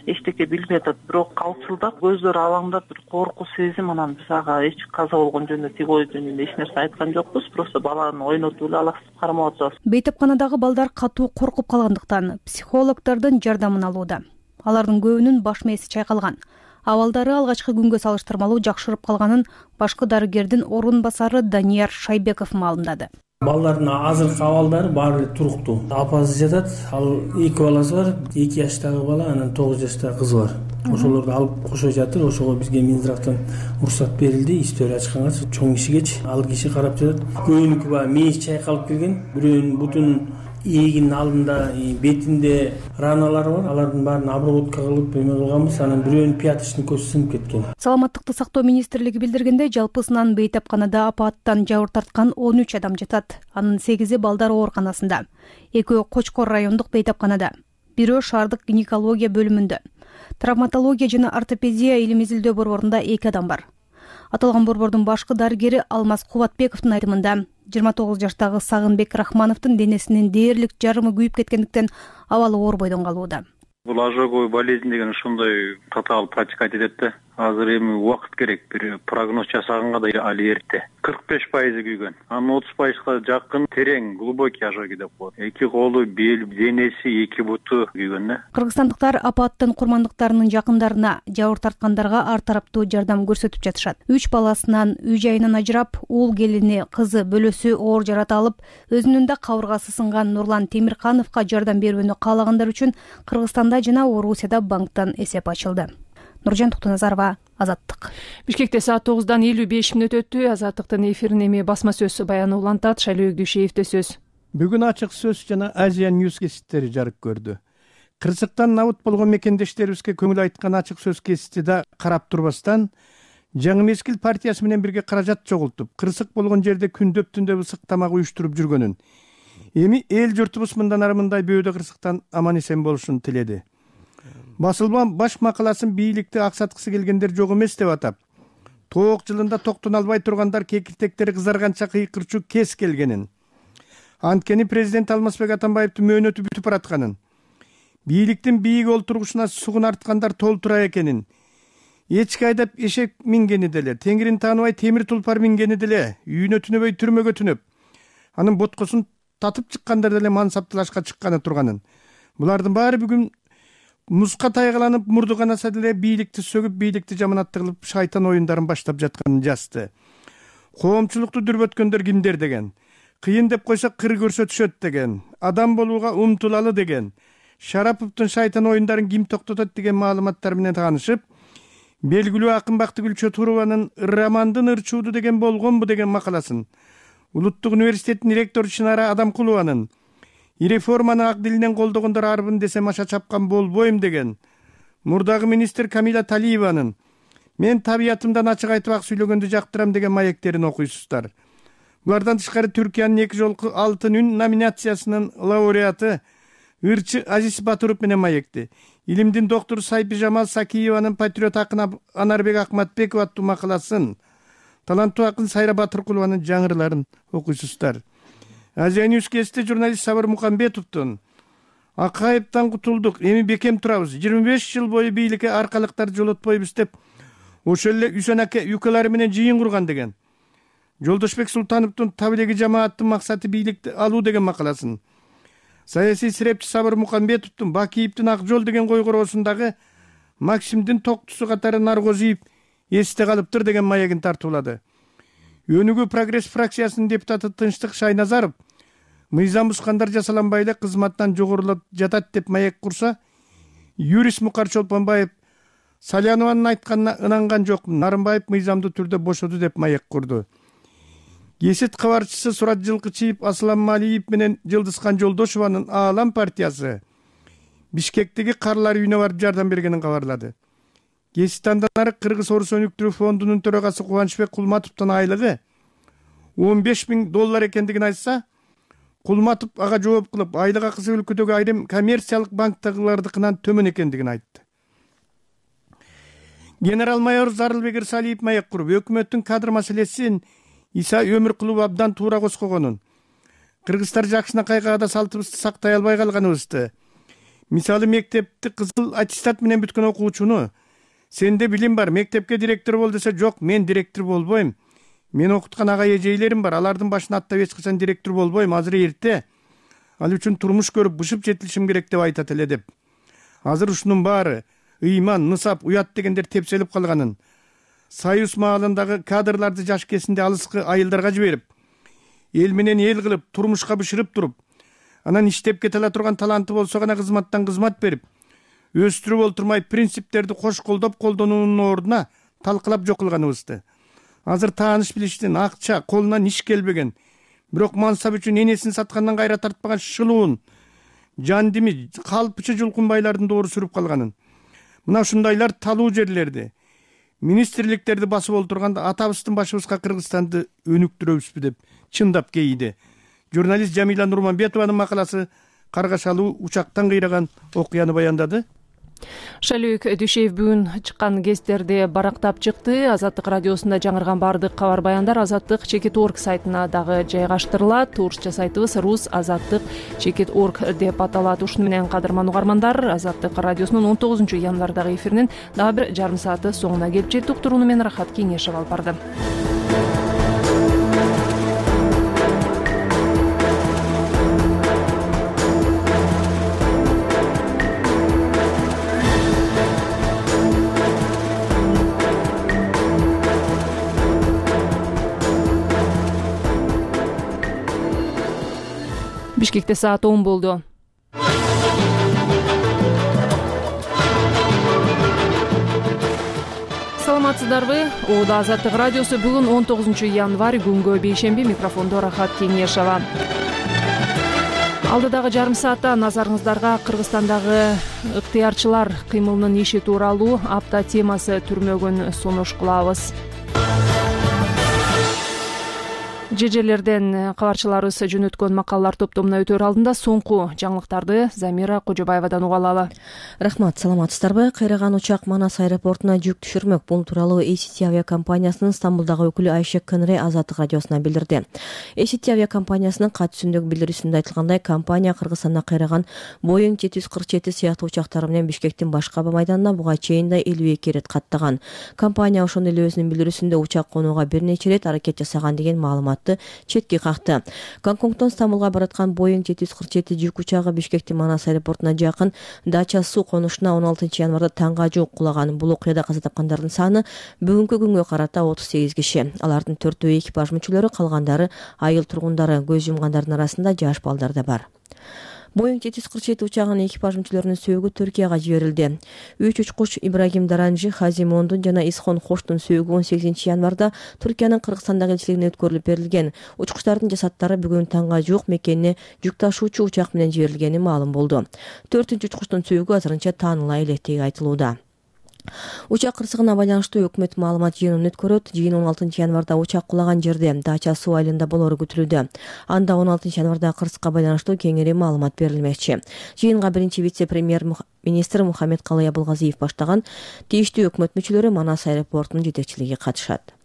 Speaker 15: эчтеке билбей атат, бирок калчылдап көздөрү алаңдап бир коркуу сезим. Анан биз ага эч каза болгон жөнүндө тиги ой жөнүндө эч нерсе айткан жокпуз, просто баланы ойнотуп эле алаксытып кармап атабыз.
Speaker 14: Бейтапканадагы балдар катуу коркуп калгандыктан психологдордун жардамын алууда. Алардын көбүнүн баш мээси чайкалган. Абалдары алгачкы күнгө салыштырмалуу жакшырып калганын башкы дарыгердин орун басары Данияр Шайбеков маалымдады.
Speaker 16: Балдардын азыркы абалдары баары эле туруктуу. Апасы жатат, ал 2 баласы бар, 2 жаштагы бала, анан 9 жаштагы кызы бар. Ошолорду алып кошо жатыр. Ошого бизге Минздравтан уруксат берилди. Истори ачканга чоң кишигечи ал киши карап жатат. Көбүнүкү баягы мээси чайкалып келген. Бирөөнүн бутунун ийигинин алдында, бетинде раналар бар. Алардын баарын обработка кылып эме кылганбыз. Анан бирөөнүн пяточный көзү сынып кеткен.
Speaker 14: Саламаттыкты сактоо министрлиги билдиргенде, жалпысынан бейтапканада апааттан жабыр тарткан 13 адам жатат. Анын 8-и балдар ооруканасында, 2-өө Кочкор райондук бейтапканада, 1-өө шаардык гинекология бөлүмүндө. Травматология жана ортопедия илим изилдөө борборунда 2 адам бар. Аталган борбордун башкы дарыгери Алмаз Кубатбековдун айтымында 29 жаштагы Сагынбек Рахмановдун денесинин дээрлик жарымы күйүп кеткендиктен абалы оор бойдон калууда.
Speaker 4: Бул ожоговый болезнь деген ушундай татаал протекать этет да. Азыр эми убакыт керек, бир прогноз жасаганга да али эрте. 45% күйгөн. Анын 30%га жакын терең, глубокий ожоги деп коет. 2 колу, бел, денеси, 2 буту күйгөн да.
Speaker 14: Кыргызстандыктар апааттын курмандыктарынын жакындарына, жабыр тарткандарга ар тараптуу жардам көрсөтүп жатышат. 3 баласынан, үй жайынан ажырап, уул келини, кызы, бөлөсү оор жарат алып, өзүнүн да кабыргасы сынган Нурлан Темиркановго жардам берүүнү каалагандар үчүн Кыргызстанда жана Орусияда банктан эсеп ачылды. Нуржан Токтоназарова, Азаттык.
Speaker 1: Бишкекте саат 9:55 өттү. Азаттыктын эфирин эми басма сөз баяны улантат. Шайлоо Дүйшеевде сөз.
Speaker 17: Бүгүн ачык сөз жана Азия Ньюс кесиптери жарык көрдү. Кырсыктан набыт болгон мекендештерибизге көңүл айткан ачык сөз кесипти да карап турбастан, Жаңы Мезгил партиясы менен бирге каражат чогултуп, кырсык болгон жерде күндөп түндөп ысык тамак уюштуруп жүргөнүн, эми эл журтубуз мындан ары мындай бөөдө кырсыктан аман эсен болушун тиледи. Басылман баш макаласын бийликти аксаткысы келгендер жок эмес деп атап, тоок жылында токтон албай тургандар кекилтектери кызарганча кыйкырчу кез келгенин, анткени президент Алмазбек Атамбаевдин мөөнөтү бүтүп баратканын, бийликтин бийик олтургучуна сугун арткандар толтура экенин, эчки айдап эшек мингени деле, теңирин тааныбай темир тулпар мингени деле, үйүнө түнөбөй түрмөгө түнөп, анын боткосун татып чыккандар деле мансаптылашка чыкканы турганын. Булардын баары бүгүн музга тайгаланып мурду канаса деле бийликти сөгүп, бийликти жаманатты кылып шайтан оюндарын баштап жатканын жазды. Коомчулукту дүрбөткөндөр кимдер деген, кыйын деп койсо кыр көрсөтүшөт деген, адам болууга умтулалы деген, Шараповдун шайтан оюндарын ким токтотот деген маалыматтар менен таанышып, белгилүү акын Бактыгүл Чотурованын романдын ырчууду деген болгонбу деген макаласын, Улуттук университеттин ректору Чынара Адамкулованын реформаны ак дилинен колдогондор арбын десем аша чапкан болбойм деген, мурдагы министр Камила Талиеванын мен табиятымдан ачык айтып ак сүйлөгөндү жактырам деген маектерин окуйсуздар. Булардан тышкары Түркиянын 2 жолку алтын үн номинациясынын лауреаты ырчы Азиз Батуров менен маекти. Илимдин доктору Сайпи Жамал Сакиеванын патриот акын Анарбек Акматбеков аттуу макаласын, таланттуу акын Сайра Батыркулованын жаңырларын окуйсуздар. Азия Ньюс кесте журналист Сабыр Мукамбетовдун Акаевден кутулдук, эми бекем турабыз, 25 жыл бою бийликке аркалыктарды жолотпойбуз деп ошол эле Үсөн аке юкалары менен жыйын курган деген, Жолдошбек Султановдун таблиги жамааттын максаты бийликти алуу деген макаласын, саясий сирепчи Сабыр Мукамбетовдун Бакиевдин Ак жол деген койгороосундагы Максимдин токтусу катары Наргозиев эсте калыптыр деген маегин тартуулады. Өнүгүү прогресс фракциясынын депутаты Тынчтык Шайназаров мыйзам бузгандар жасаланбай эле кызматтан жогорулап жатат деп маек курса, юрист Мукар Чолпонбаев Салянованын айтканына ынанган жокмун, Нарымбаев мыйзамдуу түрдө бошоду деп маек курду. Кесет кабарчысы Сурат Жылкычиев, Аслан Малиев менен Жылдызкан Жолдошованын Аалам партиясы Бишкектеги карлар үйүнө барып жардам бергенин кабарлады. Кеситтандан ары Кыргыз Орус өнүктүрүү фондунун төрагасы Кубанычбек Кулматовдун айлыгы $15,000 экендигин айтса, Кулматов ага жооп кылып, айлык акысы өлкөдөгү айрым коммерциялык банктагылардыкынан төмөн экендигин айтты. Генерал-майор Зарылбек Ирсалиев маек куруп, өкмөттүн кадр маселесин Иса Өмүркулов абдан туура коскогонун, кыргыздар жакшына кайгада салтыбызды сактай албай калганыбызды, мисалы мектепти кызыл аттестат менен бүткөн окуучуну сенде билим бар, мектепке директор бол десе, жок, мен директор болбойм, мен окуткан ага эжейлерим бар, алардын башына аттап эч качан директор болбойм, азыр эрте, ал үчүн турмуш көрүп бышып жетилишим керек деп айтат эле деп. Азыр ушунун баары ыйман, нысап, уят дегендер тепселип калганын, союз маалындагы кадрларды жаш кезинде алыскы айылдарга жиберип, эл менен эл кылып, турмушка бышырып туруп, анан иштеп кете ала турган таланты болсо гана кызматтан кызмат берип, өстүрүп олтурмай принциптерди кош колдоп колдонуунун ордуна талкылап жок кылганыбызды. Азыр тааныш билиштин, акча, колунан иш келбеген, бирок мансап үчүн энесин саткандан кайра тартпаган шылуун, жандими, калпычы жулкунбайлардын доору сүрүп калганын, мына ушундайлар талуу жерлерди, министрликтерди басып олтурганда атабыздын башыбызга Кыргызстанды өнүктүрөбүзбү деп чындап кейиди. Журналист Жамила Нурманбетованын макаласы каргашалуу учактан кыйраган окуяны баяндады.
Speaker 1: Шалюк Дүйшеев бүгүн чыккан гезиттерди барактап чыкты. Азаттык радиосунда жаңырган баардык кабар баяндар Азаттык.org сайтына дагы жайгаштырылат. Орусча сайтыбыз rus.azattyk.org деп аталат. Ушуну менен кадырман угармандар, Азаттык радиосунун 19 январдагы эфиринин дагы бир жарым сааты соңуна келип жетти. Уктурууну мен Рахат Кеңешев алып бардым. Бишкекте саат 10 болду. Саламатсыздарбы? Оодо Азаттык радиосу бүгүн 19 январь күнгө бейшемби, микрофондо Рахат Кеңешева. Алдыдагы жарым саатта назарыңыздарга Кыргызстандагы ыктыярчылар кыймылынын иши тууралуу апта темасы түрмөгүн сунуш кылабыз. Жежелерден кабарчыларыбыз жөнөткөн макалалар топтомуна өтөр алдында соңку жаңылыктарды Замира Кожобаевадан уга алалы.
Speaker 5: Рахмат, саламатсыздарбы? Кыйраган учак Манас аэропортуна жүк түшүрмөк. Бул тууралуу ACT авиакомпаниясынын Стамбулдагы өкүлү Айше Кынре Азаттык радиосуна билдирди. ACT авиакомпаниясынын катышындагы билдирүүсүндө айтылгандай, компания Кыргызстанда кыйраган Boeing 747 сыяктуу учактары менен Бишкектин башка аба майданына буга чейин да 52 ирет каттаган. Компания ошондой эле өзүнүн билдирүүсүндө учак конууга бир нече ирет аракет жасаган деген маалымат четке какты. Гонконгдон Стамбулга бараткан Boeing 747 жүк учагы Бишкектин Манас аэропортуна жакын Дача суу конушуна 16 январда таңга жук кулаган. Бул окуяда каза тапкандардын саны бүгүнкү күнгө карата 38 киши. Алардын 4-өө экипаж мүчөлөрү, калгандары айыл тургундары, көз жумгандардын арасында жаш балдар да бар. Boeing 747 учагынын экипаж мүчөлөрүнүн сөөгү Түркияга жиберилди. 3 учкуч Ибрагим Даранжи, Хазим Ондун жана Исхон Хоштун сөөгү 18 январда Түркиянын Кыргызстандагы элчилигине өткөрүлүп берилген. Учкучтардын жасаттары бүгүн таңга жук мекенине жүк ташуучу учак менен жиберилгени маалым болду. 4-үчү учкучтун сөөгү азырынча тааныла электиги айтылууда. Учак кырсыгына байланыштуу өкмөт маалымат жыйынын өткөрөт. Жыйын 16 январда учак кулаган жерде Дача суу айылында болору күтүлүүдө. Анда 16 январда кырсыкка байланыштуу кеңири маалымат берилмекчи. Жыйынга биринчи вице-премьер-министр Мухаммед Калый Абылгазиев баштаган тийиштүү өкмөт мүчөлөрү Манас аэропортунун жетекчилиги катышат.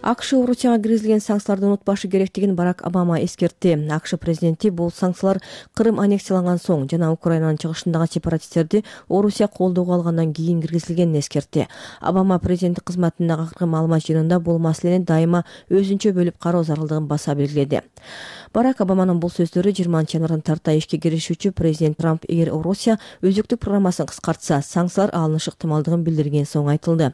Speaker 5: АКШ Орусияга киргизилген санкцияларды унутпашы керектигин Барак Обама эскертти. АКШ президенти бул санкциялар Кырым аннексияланган соң жана Украинанын чыгышындагы сепаратисттерди Орусия колдоого алгандан кийин киргизилгенин эскертти. Обама президенттик кызматындагы акыркы маалымат жыйынында бул маселени дайыма өзүнчө бөлүп кароо зарылдыгын баса белгиледи. Барак Обаманын бул сөздөрү 20 январдан тарта ишке киришүүчү президент Трамп эгер Орусия өзүктүк программасын кыскартса, санкциялар алынышы ыктымалдыгын билдирген соң айтылды.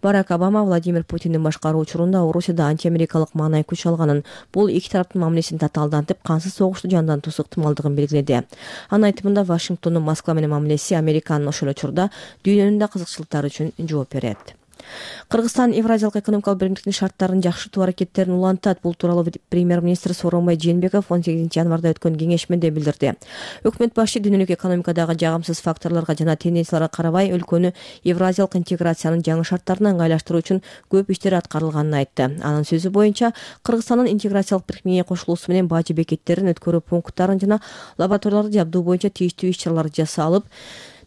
Speaker 5: Барак Обама Владимир Путиндин башкаруу учурунда Орусияда антиамерикалык маанай күч алганын, бул эки тараптын мамилесин татаалдантып, кансыз согушту жандантуусу ыктымалдыгын белгиледи. Анын айтымында Вашингтондун Москва менен мамилеси Американын ошол учурда дүйнөнүн да кызыкчылыктары үчүн жооп берет. Кыргызстан Евразиялык экономикалык биримдиктин шарттарын жакшыртуу аракеттерин улантат. Бул тууралуу премьер-министр Сооронбай Жээнбеков 18 январда өткөн кеңешмеде билдирди. Өкмөт башы дүйнөлүк экономикадагы жагымсыз факторлорго жана тенденцияларга карабай өлкөнү евразиялык интеграциянын жаңы шарттарына ыңгайлаштыруу үчүн көп иштер аткарылганын айтты. Анын сөзү боюнча, Кыргызстандын интеграциялык бирикмеге кошулуусу менен бажы бекеттерин, өткөрүү пункттарын жана лабораторияларды жабдуу боюнча тийиштүү иш-чаралар жасалып,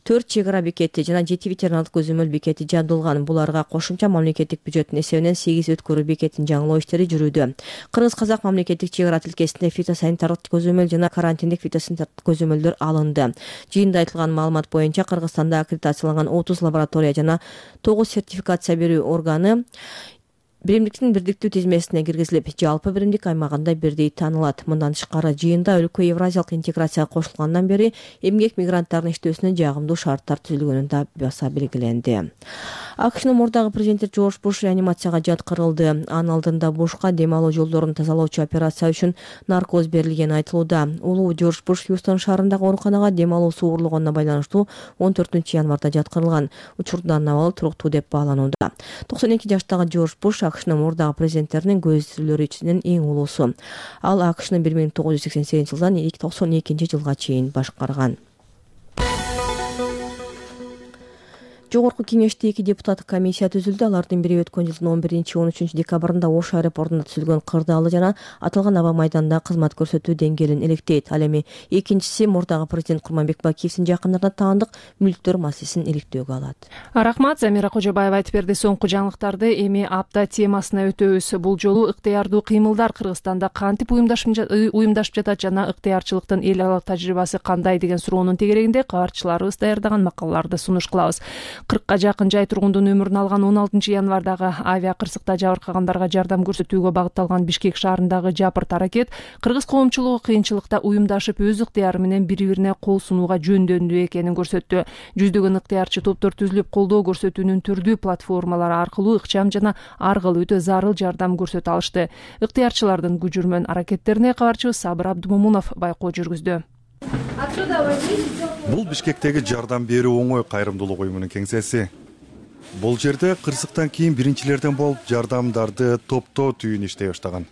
Speaker 5: 4 чек ара бекети жана 7 ветериналдык көзөмөл бекети жабдылган. Буларга кошумча мамлекеттик бюджеттин эсебинен 8 өткөрүү бекетин жаңылоо иштери жүрүүдө. Кыргыз-казак мамлекеттик чек ара тилкесинде фитосанитардык көзөмөл жана карантиндик фитосанитардык көзөмөлдөр алынды. Жыйында айтылган маалымат боюнча Кыргызстанда аккредитацияланган 30 лаборатория жана 9 сертификация берүү органы биримдиктин бирдиктүү тизмесине киргизилип, жалпы биримдик аймагында бирдей таанылат. Мындан тышкары жыйында өлкө Евразиялык интеграцияга кошулгандан бери эмгек мигранттарынын иштөөсүнө жагымдуу шарттар түзүлгөнү да баса белгиленди. АКШнын мурдагы президенти Джордж Буш реанимацияга жаткырылды. Анын алдында Бушка дем алуу жолдорун тазалоочу операция үчүн наркоз берилгени айтылууда. Улуу Джордж Буш Хьюстон шаарындагы ооруканага дем алуусу уурлогонуна байланыштуу 14-январда жаткырылган. Учурда анын абалы туруктуу деп бааланууда. 92 жаштагы Джордж Буш АКШнын мурдагы президенттеринин көзүлөрү ичинен эң улуусу. Ал АКШны 1988 жылдан 1992 жылга чейин башкарган. Жогорку кеңеште 2 депутаттык комиссия түзүлдү. Алардын бири өткөн жылдын 11-13 декабрында Ош аэропортунда түзүлгөн кырдаалы жана аталган аба майданында кызмат көрсөтүү деңгээлин иликтейт. Ал эми экинчиси мурдагы президент Курманбек Бакиевдин жакындарына таандык мүлктөр маселесин иликтөөгө алат.
Speaker 1: Рахмат, Замира Кожобаева айтып берди. Соңку жаңылыктарды эми апта темасына өтөбүз. Бул жолу ыктыярдуу кыймылдар Кыргызстанда кантип уюмдашып жатат жана ыктыярчылыктын эл аралык тажрыйбасы кандай деген суроонун тегерегинде кабарчыларыбыз даярдаган макалаларды сунуш кылабыз. 40ка жакын жай тургундун өмүрүн алган 16 январдагы авиа кырсыкта жабыркагандарга жардам көрсөтүүгө багытталган Бишкек шаарындагы жапырт аракет кыргыз коомчулугу кыйынчылыкта уюмдашып өз ыктыяры менен бири-бирине кол сунууга жөндөмдүү экенин көрсөттү. Жүздөгөн ыктыярчы топтор түзүлүп, колдоо көрсөтүүнүн түрдүү платформалары аркылуу ыкчам жана аргыл өтө зарыл жардам көрсөтө алышты. Ыктыярчылардын күжүрмөн аракеттерине кабарчыбыз Сабыр Абдумомунов байкоо жүргүздү.
Speaker 18: Бул Бишкектеги жардам берүү оңой кайрымдуулук уюмунун кеңсеси. Бул жерде кырсыктан кийин биринчилерден болуп жардамдарды топтоо түйүн иштей баштаган.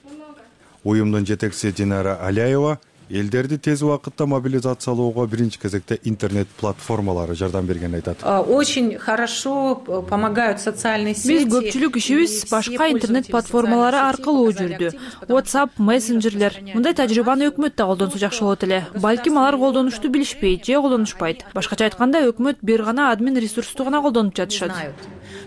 Speaker 18: Уюмдун жетекчиси Динара Аляева элдерди тез убакытта мобилизациялоого биринчи кезекте интернет платформалары жардам бергенин айтат.
Speaker 19: Очень хорошо помогают социальные сети.
Speaker 20: Биз көпчүлүк ишибиз башка интернет платформалары аркылуу жүрдү. WhatsApp, мессенджерлер. Мындай тажрыйбаны өкмөт да колдонсо жакшы болот эле. Балким алар колдонушту билишпейт же колдонушпайт. Башкача айтканда, өкмөт бир гана админ ресурсту гана колдонуп жатышат.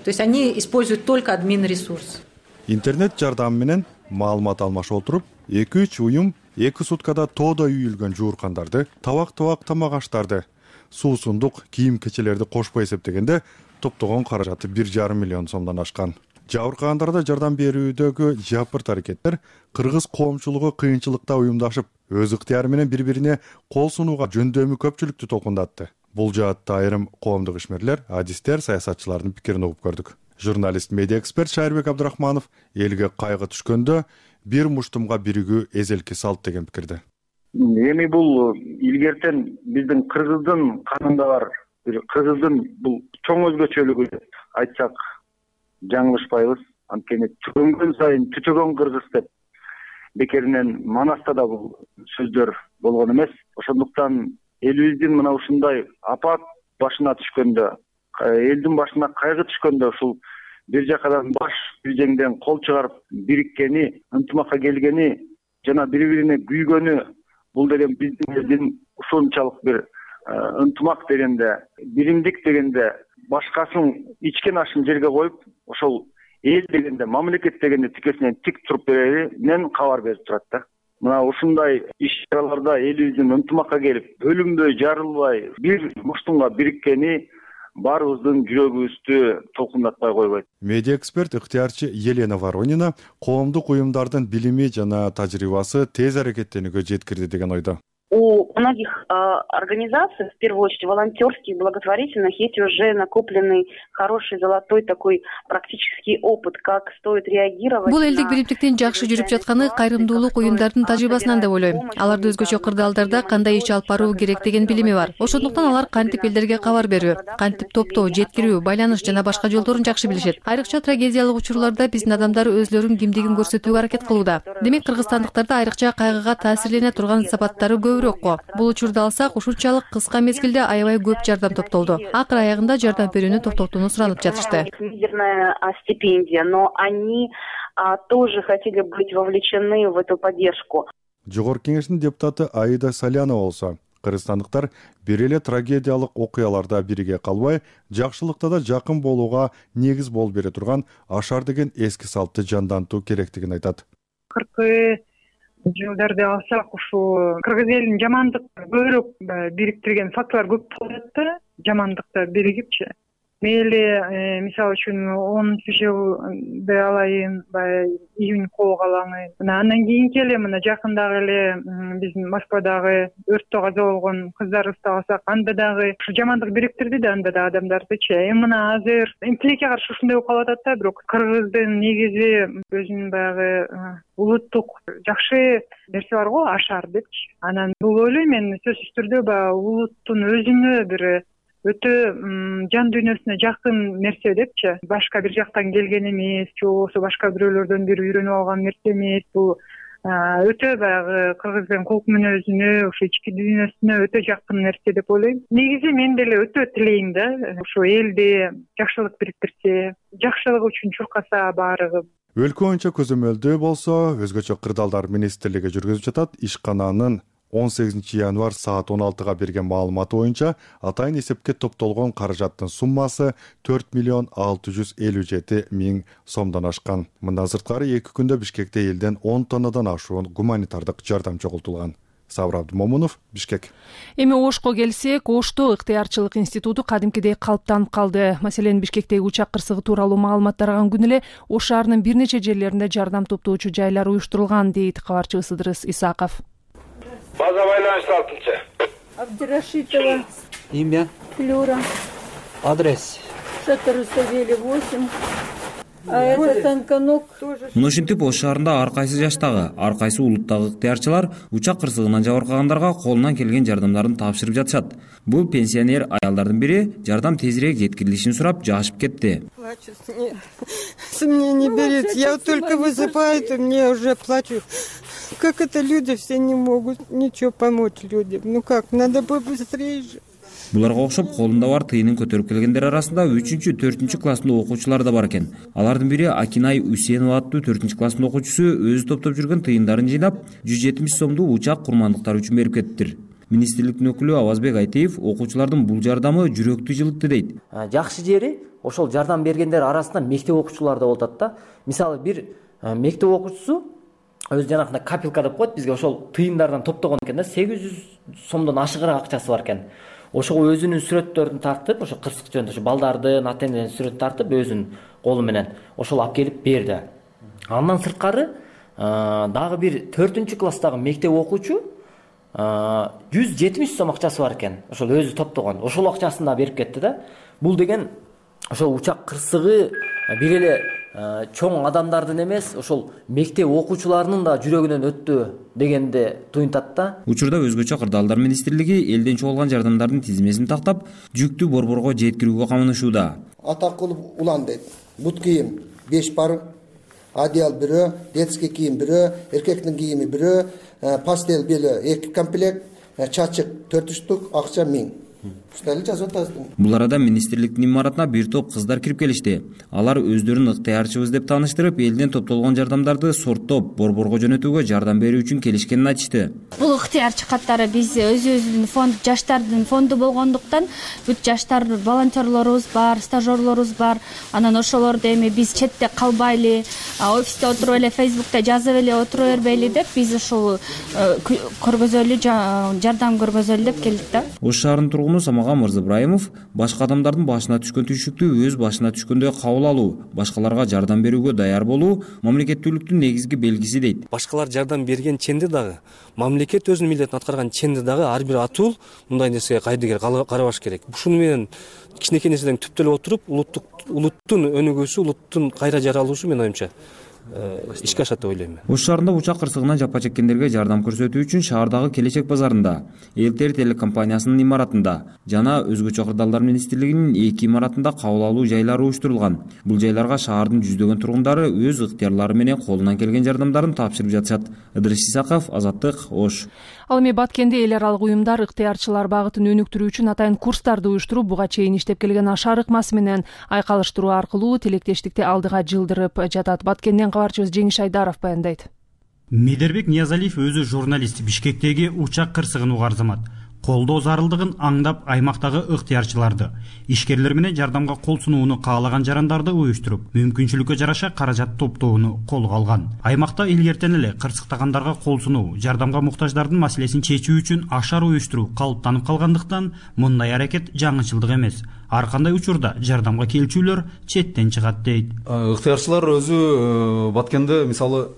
Speaker 19: То есть они используют только админ ресурс.
Speaker 18: Интернет жардамы менен маалымат алмашып отуруп, 2-3 уюм 2 суткада тоодой үйүлгөн жууркандарды, табак тамак аштарды, суусундук кийим-кечелерди кошпой эсептегенде топтогон каражаты 1,5 миллион сомдон ашкан. Жабыркагандарда жардам берүүдөгү жапырт аракеттер кыргыз коомчулугу кыйынчылыкта уюмдашып, өз ыктыяры менен бири-бирине кол сунууга жөндөмү көпчүлүктү толкундатты. Бул жаатта айрым коомдук ишмерлер, адистер, саясатчылардын пикирин угуп көрдүк. Журналист, медиа эксперт Шайырбек Абдрахманов элге кайгы түшкөндө бир муштумга биригүү эзелки салт деген пикирде.
Speaker 21: Эми бул илгертен биздин кыргыздын канында бар, кыргыздын бул чоң өзгөчөлүгү деп айтсак жаңылышпайбыз. Анткени түгөнгөн сайын түтөгөн кыргыз деп бекеринен Манаста да бул сөздөр болгон эмес. Ошондуктан элибиздин мына ушундай апат башына түшкөндө, элдин башына кайгы түшкөндө ушул бир жакадан баш биржеңден кол чыгарып бириккени, ынтымакка келгени жана бири-бирине күйгөнү, бул деген биздин элдин ушунчалык бир ынтымак дегенде, биримдик дегенде, башкасын ичкен ашын жерге коюп, ошол эл дегенде, мамлекет дегенде тикесинен тик туруп береринен кабар берип турат да. Мына ушундай иш-чараларда элибиздин ынтымакка келип, бөлүнбөй, жарылбай, бир муштумга бириккени баарыбыздын жүрөгүбүздү толкундатпай койбойт.
Speaker 18: Медиа эксперт ыктыярчы Елена Воронина коомдук уюмдардын билими жана тажрыйбасы тез аракеттенүүгө жеткирди деген ойдо.
Speaker 22: У многих организаций, в первую очередь волонтерских, благотворительных, есть уже накопленный хороший золотой такой практический опыт, как стоит реагировать.
Speaker 7: Бул элдик биримдиктин жакшы жүрүп жатканы кайрымдуулук уюмдардын тажрыйбасынан деп ойлойм. Аларды өзгөчө кырдаалдарда кандай иш алып баруу керек деген билими бар. Ошондуктан алар кантип элдерге кабар берүү, кантип топтоо, жеткирүү, байланыш жана башка жолдорун жакшы билишет. Айрыкча трагедиялык учурларда биздин адамдар өзлөрүнүн кимдигин көрсөтүүгө аракет кылууда. Демек кыргызстандыктарда айрыкча кайгыга таасирлене турган сапаттары Бул учурду алсак, ушунчалык кыска мезгилде аябай көп жардам топтолду. Акыр аягында жардам берүүнү токтотууну суранып жатышты.
Speaker 22: Мизерная стипендия, но они тоже хотели быть вовлечены в эту поддержку.
Speaker 18: Жогорку кеңештин депутаты Аида Салянова болсо, кыргызстандыктар бир эле трагедиялык окуяларда бирге калбай, жакшылыкта да жакын болууга негиз болуп бере турган ашар деген эски салтты жандантуу керектигин айтат.
Speaker 2: 40 жылдарды алсак, ушул кыргыз элин жамандык көбүрөөк бириктирген фактылар көп болуп атат. Жамандыкта биригипчи. Мейли мисалы үчүн 10 жылды алайын, июнь кооп алаңы. Андан кийинки эле мына жакындагы эле биздин Москвадагы өрттө каза болгон кыздарыбызды алсак, анда дагы ушу жамандык бириктирди да, анда да адамдардычы. Мына азыр тилекке каршы ушундай болуп калып атат да, бирок кыргыздын негизи өзүнүн баягы улуттук жакшы нерсе бар го, ашар депчи. Анан бул ойлойм мен сөзсүз түрдө баягы улуттун өзүнө бир өтө жан дүйнөсүнө жакын нерсе депчи. Башка бир жактан келген эмес, же болбосо башка бирөөлөрдөн бир үйрөнүп алган нерсе эмес. Бул өтө баягы кыргыздын кулк мүнөзүнө, ушу ички дүйнөсүнө өтө жакын нерсе деп ойлойм. Негизи мен деле өтө тилейм да, ушу элди жакшылык бириктирсе, жакшылык үчүн чуркаса баарыгы.
Speaker 18: Өлкө боюнча көзөмөлдөө болсо, өзгөчө кырдаалдар министрлиги жүргүзүп жатат. Ишкананын 18 январь саат 16-га берген маалыматы боюнча атайын эсепке топтолгон каражаттын суммасы 4,657,000 сомдон ашкан. Мындан сырткары 2 күндө Бишкекте элден 10 тоннадан ашуун гуманитардык жардам чогултулган. Сабыр Абдымомунов, Бишкек.
Speaker 1: Эми Ошко келсек, Ошто ыктыярчылык институту кадимкидей калыптанып калды. Маселен, Бишкектеги учак кырсыгы тууралуу маалымат тараган күнү эле Ош шаарынын бир нече жерлеринде жардам топтоочу жайлар уюштурулган, дейт кабарчыбыз Ыдырыс Исаков.
Speaker 6: База байланышы 6-чы.
Speaker 23: Абдирашитова.
Speaker 6: Имя?
Speaker 23: Флюра.
Speaker 6: Адрес?
Speaker 23: Шатыр Руставели 8. А это Танканок.
Speaker 24: Ушинтип Ош шаарында ар кайсы жаштагы, ар кайсы улуттагы ыктыярчылар учак кырсыгынан жабыркагандарга колунан келген жардамдарын тапшырып жатышат. Бул пенсионер аялдардын бири жардам тезирээк жеткирилишин сурап жашып кетти.
Speaker 23: Плачу, мне не берет. Я вот только высыпаю, то мне уже плачу. Как это люди все не могут ничего помочь людям? Ну как, надо побыстрее же.
Speaker 24: Буларга окшоп колунда бар тыйынын көтөрүп келгендер арасында 3-4 класстын окуучулары да бар экен. Алардын бири Акинай Үсенова аттуу 4 класстын окуучусу өзү топтоп жүргөн тыйындарын жыйнап 170 сомду учак курмандыктар үчүн берип кетиптир. Министрликтин өкүлү Авазбек Айтеев окуучулардын бул жардамы жүрөктү жылытты дейт.
Speaker 25: Жакшы жери ошол жардам бергендер арасында мектеп окуучулары да болуп атат да. Мисалы бир мектеп окуучусу өзү жанагындай капелка деп коет бизге, ошол тыйындардан топтогон экен да, 800 сомдон ашыгыраак акчасы бар экен. Ошого өзүнүн сүрөттөрүн тартып, ошо кырсык жөнүндө ошо балдардын ата-энелеринин сүрөтүн тартып өзүнүн колу менен ошол алып келип берди. Андан сырткары дагы бир 4-класстагы мектеп окуучу 170 сом акчасы бар экен. Ошол өзү топтогон. Ошол акчасын да берип кетти да. Бул деген ошол учак кырсыгы бир эле чоң адамдардын эмес, ошол мектеп окуучуларынын да жүрөгүнөн өттү дегенди туюнтат да.
Speaker 24: Учурда өзгөчө кырдаалдар министрлиги элден чогулган жардамдардын тизмесин тактап, жүктү борборго жеткирүүгө камынышууда.
Speaker 26: Атакулов улан дейт. Бут кийим 5 пар, одеял бирөө, детский кийим бирөө, эркектин кийими бирөө, пастел беле 2 комплект, чачык 4 штук, акча 1000.
Speaker 24: Бул арада министрликтин имаратына бир топ кыздар кирип келишти. Алар өздөрүн ыктыярчыбыз деп тааныштырып, элден топтолгон жардамдарды сорттоп, борборго жөнөтүүгө жардам берүү үчүн келишкенин айтышты.
Speaker 27: Бул ыктыярчы каттары биз өзүбүздүн фонд, жаштардын фонду болгондуктан бүт жаштар волонтерлорубуз бар, стажерлорубуз бар. Анан ошолорду эми биз четте калбайлы, офисте отуруп эле Facebook'та жазып эле отура бербейли деп биз ушул көргөзөлү жардам көргөзөлү деп келдик да.
Speaker 24: Ош шаарынын тургуну Самаган Мырзыбраимов башка адамдардын башына түшкөн түйшүктү өз башына түшкөндөй кабыл алуу, башкаларга жардам берүүгө даяр болуу мамлекеттүүлүктүн негизги белгиси дейт.
Speaker 28: Башкалар жардам берген ченде дагы, мамлекет өзүнүн милдетин аткарган ченде дагы ар бир атуул мындай нерсеге кайдыгер карабаш керек. Ушуну менен кичинекей нерседен түптөлүп отуруп, улуттун өнүгүүсү, улуттун кайра жаралуусу менин оюмча ишке ашат деп ойлойм.
Speaker 24: Ош шаарында учак кырсыгынан жапа чеккендерге жардам көрсөтүү үчүн шаардагы Келечек базарында, Элтер телекомпаниясынын имаратында жана өзгөчө кырдаалдар министрлигинин 2 имаратында кабыл алуу жайлары уюштурулган. Бул жайларга шаардын жүздөгөн тургундары өз ыктыярлары менен колунан келген жардамдарын тапшырып жатышат. Ыдырыс Исаков, Азаттык, Ош.
Speaker 1: Ал эми Баткенде эл аралык уюмдар ыктыярчылар багытын өнүктүрүү үчүн атайын курстарды уюштуруп, буга чейин иштеп келген ашар ыкмасы менен айкалыштыруу аркылуу тилектештикти алдыга жылдырып жатат. Баткенден кабарчыбыз Жеңиш Айдаров баяндайт.
Speaker 29: Медербек Ниязалиев өзү журналист, Бишкектеги учак кырсыгын угарзамат.
Speaker 3: колдоо зарылдыгын аңдап аймактагы ыктыярчыларды, ишкерлер менен жардамга кол сунууну каалаган жарандарды уюштуруп, мүмкүнчүлүккө жараша каражат топтоону колго алган. Аймакта илгертен эле кырсыктагандарга кол сунуу, жардамга муктаждардын маселесин чечүү үчүн ашар уюштуруу калыптанып калгандыктан мындай аракет жаңычылдык эмес. Ар кандай учурда жардамга келчүлөр четтен чыгат дейт.
Speaker 8: Ыктыярчылар өзү Баткенде мисалы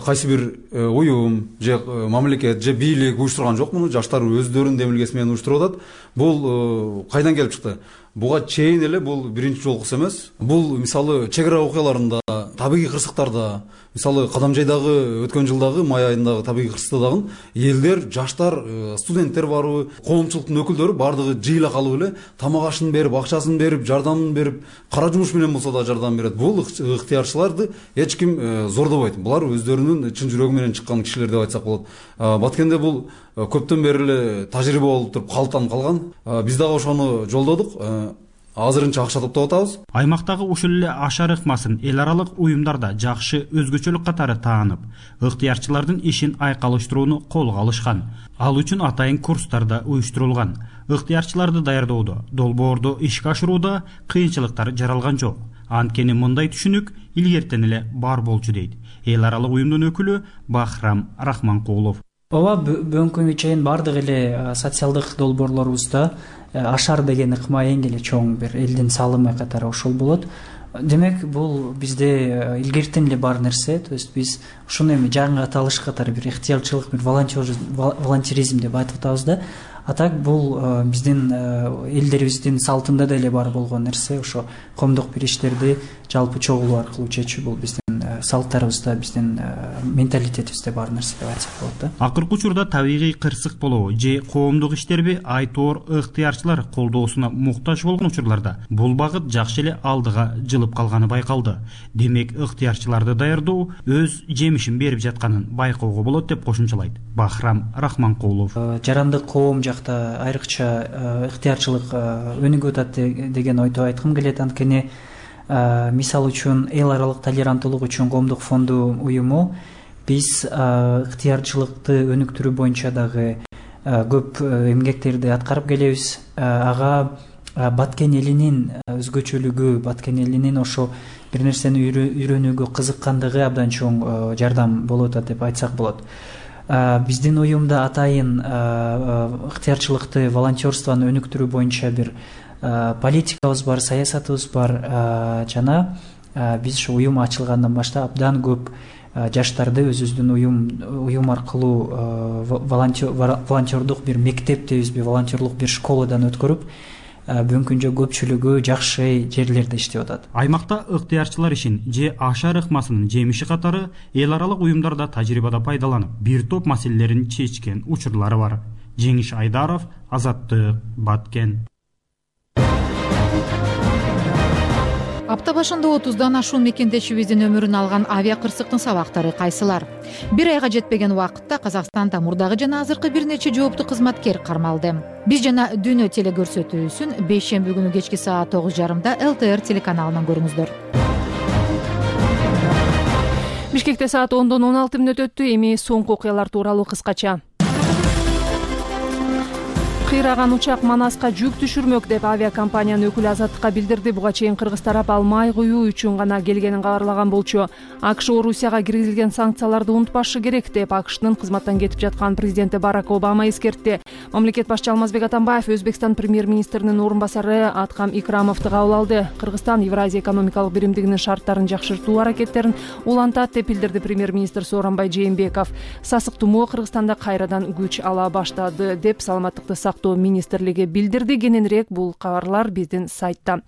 Speaker 8: кайсы бир уюм же мамлекет же бийлик уюштурган жок, муну жаштар өздөрүнүн демилгеси менен уюштуруп атат. Бул кайдан келип чыкты? Буга чейин эле бул биринчи жолкусу эмес. Бул мисалы чек ара окуяларында, табигый кырсыктарда, мисалы Кадамжайдагы өткөн жылдагы май айындагы табигый кырсыкта дагы элдер, жаштар, студенттер барбы, коомчулуктун өкүлдөрү бардыгы жыйыла калып эле тамак ашын берип, акчасын берип, жардамын берип, кара жумуш менен болсо да жардам берет. Бул ыктыярчыларды эч ким зордобойт. Булар өздөрүнүн чын жүрөгү менен чыккан кишилер деп айтсак болот. Баткенде бул көптөн бери эле тажрыйба болуп туруп калыптанып калган. Биз дагы ошону жолдодук. Азырынча акча топтоп атабыз.
Speaker 3: Аймактагы ушул эле ашар ыкмасын эл аралык уюмдарда жакшы өзгөчөлүк катары таанып, ыктыярчылардын ишин айкалыштырууну колго алышкан. Ал үчүн атайын курстар да уюштурулган. Ыктыярчыларды даярдоодо, долбоорду ишке ашырууда кыйынчылыктар жаралган жок. Анткени мындай түшүнүк илгертен эле бар болчу дейт эл аралык уюмдун өкүлү Бахрам Рахманкулов.
Speaker 9: Ооба, бүгүнкү күнгө чейин бардык эле социалдык долбоорлорубузда ашар деген ыкма эң эле чоң бир элдин салымы катары ошол болот. Демек, бул бизде илгертен эле бар нерсе. То есть биз ушуну эми жаңы аталыш катары бир ыктыярчылык, бир волонтеризм деп айтып атабыз да. А так бул биздин элдерибиздин салтында деле бар болгон нерсе. Ошо коомдук бир иштерди жалпы чогулуу аркылуу чечүү бул биздин салттарыбызда, биздин менталитетибизде бар нерсе деп айтсак болот да.
Speaker 3: Акыркы учурда табигый кырсык болобу же коомдук иштерби айтоор ыктыярчылар колдоосуна муктаж болгон учурларда бул багыт жакшы эле алдыга жылып калганы байкалды. Демек, ыктыярчыларды даярдоо өз жемишин берип жатканын байкоого болот деп кошумчалайт Бахрам Рахманкулов.
Speaker 9: Жарандык коом жакта айрыкча ыктыярчылык өнүгүп атат деген ойду айткым келет. Анткени мисал үчүн эл аралык толеранттуулук үчүн коомдук фонду уюму биз ыктыярчылыкты өнүктүрүү боюнча дагы көп эмгектерди аткарып келебиз. Ага Баткен элинин өзгөчөлүгү, Баткен элинин ошо бир нерсени үйрөнүүгө кызыккандыгы абдан чоң жардам болуп атат деп айтсак болот. Биздин уюмда атайын ыктыярчылыкты, волонтерствону өнүктүрүү боюнча бир политикабыз бар, саясатыбыз бар. Жана биз ушу уюм ачылгандан баштап абдан көп жаштарды өзүбүздүн уюм аркылуу волонтердук бир мектеп дейбизби, волонтерлук бир школадан өткөрүп, бүгүнкү күндө көпчүлүгү жакшы жерлерде иштеп атат.
Speaker 3: Аймакта ыктыярчылар ишин же ашар ыкмасынын жемиши катары эл аралык уюмдарда тажрыйбада пайдаланып, бир топ маселелерин чечкен учурлары бар. Жеңиш Айдаров, Азаттык, Баткен.
Speaker 10: Апта башында 30дан ашуун мекендешибиздин өмүрүн алган авиа кырсыктын сабактары кайсылар? Бир айга жетпеген убакытта Казакстанда мурдагы жана азыркы бир нече жооптуу кызматкер кармалды. Биз жана Дүйнө телекөрсөтүүсүн бейшемби күнү кечки саат 9:30 ЛТР телеканалынан көрүңүздөр.
Speaker 1: Бишкекте саат 10:16 өттү. Эми соңку окуялар тууралуу кыскача. Кыйраган учак Манаска жүк түшүрмөк деп авиакомпаниянын өкүлү Азаттыкка билдирди. Буга чейин Кыргыз тарап ал май куюу үчүн гана келгенин кабарлаган болчу. АКШ Орусияга киргизилген санкцияларды унутпашы керек деп АКШтын кызматтан кетип жаткан президенти Барак Обама эскертти. Мамлекет башчы Алмазбек Атамбаев Өзбекстан премьер-министринин орун басары Аткам Икрамовду кабыл алды. Кыргызстан Евразия экономикалык биримдигинин шарттарын жакшыртуу аракеттерин улантат деп билдирди премьер-министр Сооронбай Жээнбеков. Сасык тумоо Кыргызстанда кайрадан күч ала баштады деп саламаттыкты сактоо министрлиги билдирди. Кененирээк бул кабарлар биздин сайтта.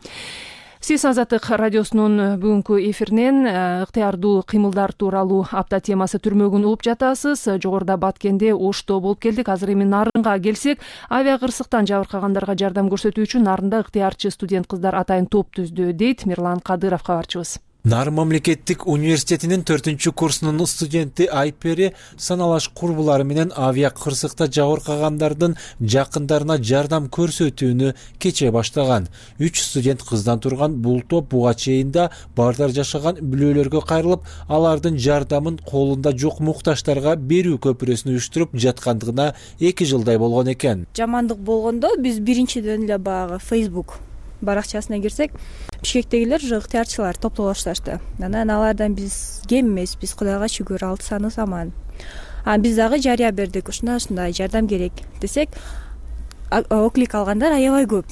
Speaker 1: Сиз Азаттык радиосунун бүгүнкү эфиринен ыктыярдуу кыймылдар тууралуу апта темасы түрмөгүн угуп жатасыз. Жогоруда Баткенде Ошто болуп келдик. Азыр эми Нарынга келсек, авиа кырсыктан жабыркагандарга жардам көрсөтүү үчүн Нарында ыктыярчы студент кыздар атайын топ түздү дейт Мирлан Кадыров, кабарчыбыз.
Speaker 4: Нарын мамлекеттик университетинин 4-курсунун студенти Айпери саналаш курбулары менен авиа кырсыкта жабыркагандардын жакындарына жардам көрсөтүүнү кече баштаган. 3 студент кыздан турган бул топ буга чейин да бардар жашаган бүлөлөргө кайрылып, алардын жардамын колунда жок муктаждарга берүү көпүрөсүн уюштуруп жаткандыгына 2 жылдай болгон экен.
Speaker 11: Жамандык болгондо биз биринчиден эле баягы Facebook баракчасына кирсек, Бишкектегилер уже ыктыярчылар топтоло башташты. Анан алардан биз кем эмеспиз, Кудайга шүгүр, 6 саныбыз аман. Биз дагы жарыя бердик, ушундай жардам керек десек, оклик алгандар аябай көп.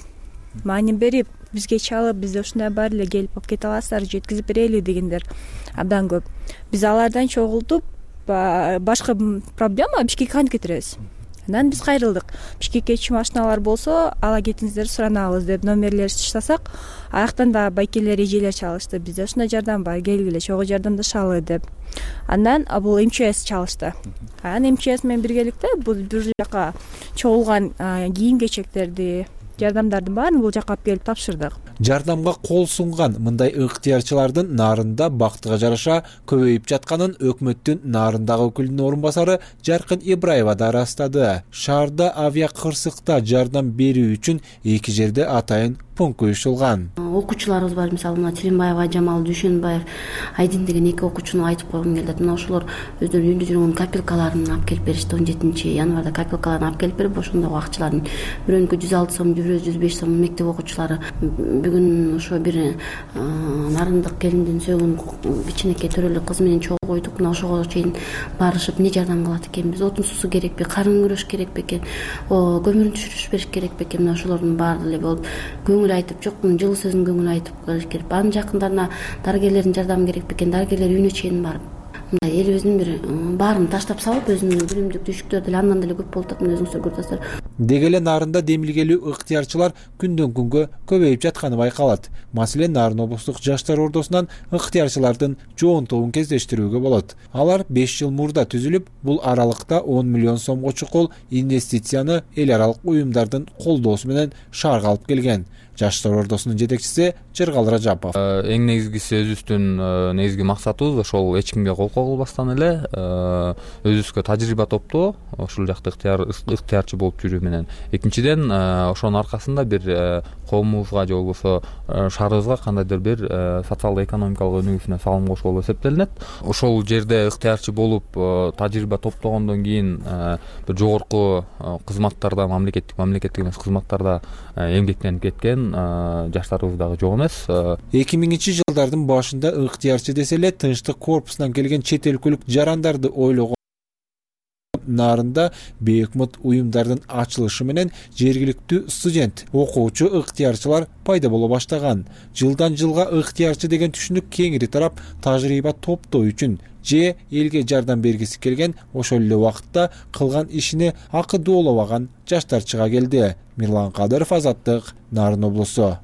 Speaker 11: Маани берип, бизге чалып, бизде ушундай бар эле, келип алып кете аласыздар, жеткизип берели дегендер абдан көп. Биз алардан чогултуп, башка проблема Бишкекке кантип кетиребиз? Анан биз кайрылдык. Бишкекке машиналар болсо, ала кетиңиздер, суранабыз деп номерлерди таштасак, аяктан да байкелер, эжелер чалышты. Бизде ушундай жардам бар, келгиле, чогуу жардамдашалы деп. Андан бул МЧС чалышты. Анан МЧС менен биргеликте бул бир жака чогулган кийим-кечектерди, жардамдардын баарын бул жака алып келип тапшырдык.
Speaker 4: Жардамга кол сунган мындай ыктыярчылардын Нарында бактыга жараша көбөйүп жатканын өкмөттүн Нарындагы өкүлүнүн орун басары Жаркын Ибраева да ырастады. Шаарда авиа кырсыкта жардам берүү үчүн 2 жерде атайын пункт уюштурулган.
Speaker 12: Окуучуларыбыз бар, мисалы мына Тилимбаева, Жамал Дүйшөнбаев, Айдин деген 2 окуучуну айтып койгум келет. Мына ошолор өздөрүнүн үйүндө жүргөн капелкаларын алып келип беришти. 17-январда капелкаларын алып келип берип, ошондогу акчаларын бирөөнүкү 106 сом, 105 сом мектеп окуучулары бүгүн ошо бир нарындык келиндин сөөгүн кичинекей төрөлүк кыз менен чогулдук. Мына ошого чейин барышып, эмне жардам кылат экенбиз? Отун суусу керекпи? Карын күрөш керекпи экен? Көмүрүн түшүрүш бериш керекпи экен? Мына ошолордун баары эле болуп көңүл айтып, жок жылуу сөзүн көңүл айтып келиш керек. Анын жакындарына дарыгерлердин жардамы керекпи экен? Дарыгерлер үйүнө чейин барып, мындай элибиздин бир баарын таштап салып, өзүнүн билимдик түшүктөр деле андан деле көп болуп атат, өзүңүздөр көрүп атасыздар.
Speaker 4: Деги эле Нарында демилгелүү ыктыярчылар күндөн күнгө көбөйүп жатканы байкалат. Маселен, Нарын облустук жаштар ордосунан ыктыярчылардын жоонтугун кездештирүүгө болот. Алар 5 жыл мурда түзүлүп, бул аралыкта 10 миллион сомго чукул инвестицияны эл аралык уюмдардын колдоосу менен шаарга алып келген. Жаштар ордосунун жетекчиси Жыргал Ражапов.
Speaker 13: Эң негизгиси өзүбүздүн негизги максатыбыз ошол эч кимге кол кагылбастан эле өзүбүзгө тажрыйба топтоо, ошол жакта ыктыярчы болуп жүрүү менен. Экинчиден, ошонун аркасында бир коомубузга же болбосо шаарыбызга кандайдыр бир социалдо-экономикалык өнүгүүсүнө салым кошуу болуп эсептелинет. Ошол жерде ыктыярчы болуп тажрыйба топтогондон кийин бир жогорку кызматтарда, мамлекеттик эмес кызматтарда эмгектенип кеткен жаштарыбыз дагы жок эмес.
Speaker 4: 2000-жылдардын башында ыктыярчы десе эле Тынчтык корпусунан келген чет өлкөлүк жарандарды ойлогон Нарында бейөкмөт уюмдардын ачылышы менен жергиликтүү студент, окуучу ыктыярчылар пайда боло баштаган. Жылдан жылга ыктыярчы деген түшүнүк кеңири тарап, тажрыйба топтоо үчүн же элге жардам бергиси келген, ошол эле убакытта кылган ишине акы доолобаган жаштар чыга келди. Мирлан Кадыров, Азаттык, Нарын облусу.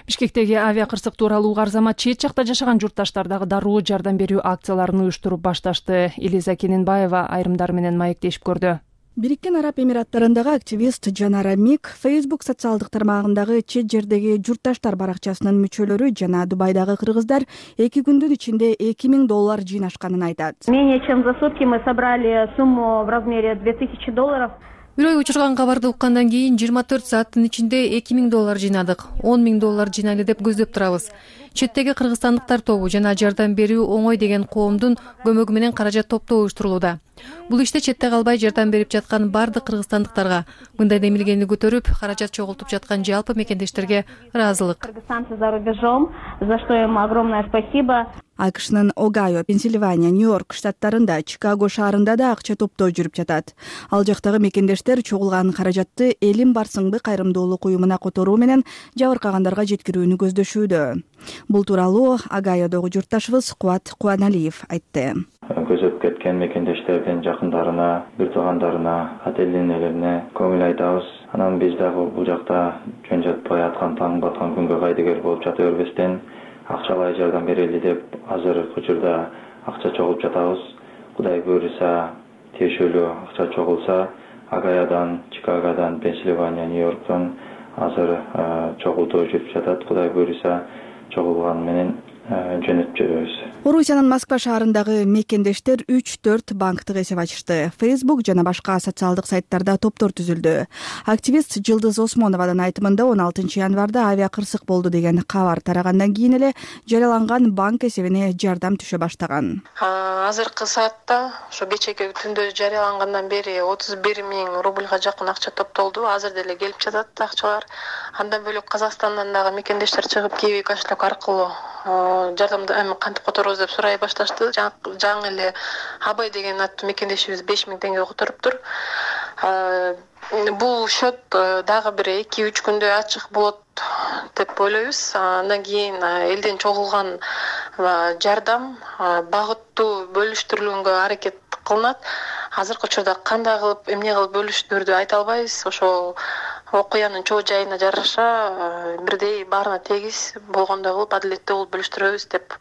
Speaker 1: Бишкектеги авиа кырсык тууралуу Арзамат чет жакта жашаган журтташтар дагы дароо жардам берүү акцияларын уюштуруп башташты. Элиза Кененбаева айрымдар менен маектешип көрдү.
Speaker 14: Бириккен Араб Эмираттарындагы активист Жанара Мик Facebook социалдык тармагындагы чет жердеги журтташтар баракчасынын мүчөлөрү жана Дубайдагы кыргыздар 2 күндүн ичинде $2000 жыйнашканын айтат.
Speaker 15: Менее чем за сутки мы собрали сумму в размере $2000.
Speaker 7: Бир ой учурган кабарды уккандан кийин 24 сааттын ичинде $2000 жыйнадык. $10,000 жыйнайлы деп көздөп турабыз. Четтеги кыргызстандыктар тобу жана жардам берүү оңой деген коомдун көмөгү менен каражат топтоо уюштурулууда. Бул иште четте калбай жардам берип жаткан бардык кыргызстандыктарга, мындай демилгени көтөрүп, каражат чогултуп жаткан жалпы мекендештерге ыраазылык.
Speaker 15: Кыргызстанцы за рубежом, за что им огромное спасибо.
Speaker 14: АКШнын Огайо, Пенсильвания, Нью-Йорк штаттарында, Чикаго шаарында да акча топтоо жүрүп жатат. Ал жактагы мекендештер чогулган каражатты Элим Барсыңбы кайрымдуулук уюмуна которуу менен жабыркагандарга жеткирүүнү көздөшүүдө. Бул тууралуу Огайодогу журтташыбыз Кубат Кубаналиев айтты.
Speaker 16: Көзөп кеткен мекендештердин жакындарына, бир туугандарына, ата элдерине көңүл айтабыз. Анан биз дагы бул жакта жөн жатпай аткан таң баткан күнгө кайдыгер болуп жата бербестен акчалай жардам берели деп азыркы учурда акча чогултуп жатабыз. Кудай буйруса, тиешелүү акча чогулса, Огайодан, Чикагодан, Пенсильвания, Нью-Йорктон азыр чогултуу жүрүп жатат. Кудай буйруса, чогулган менен жөнөтүп жүрөбүз.
Speaker 14: Орусиянын Москва шаарындагы мекендештер 3-4 банктык эсеп ачышты. Facebook жана башка социалдык сайттарда топтор түзүлдү. Активист Жылдыз Осмонованын айтымында 16 январда авиа кырсык болду деген кабар тарагандан кийин эле жарыяланган банк эсебине жардам түшө баштаган.
Speaker 2: Азыркы саатта ошо кечеги түндө жарыялангандан бери 31 000 рубльга жакын акча топтолду. Азыр деле келип жатат акчалар. Андан бөлөк Казакстандан дагы мекендештер чыгып Киви кошелек аркылуу жардамды кантип которобуз деп сурай башташты. Жаңы эле Абай деген аттуу мекендешибиз 5 000 теңге которуптур. Бул счет дагы бир 2-3 күндө ачык болот деп ойлойбуз. Андан кийин элден чогулган жардам багыттуу бөлүштүрүлгөнгө аракет кылынат. Азыркы учурда кандай кылып, эмне кылып бөлүштүрдү айта албайбыз. Ошол окуянын чоо жайына жараша бирдей баарына тегиз болгондой кылып адилеттүү кылып бөлүштүрөбүз деп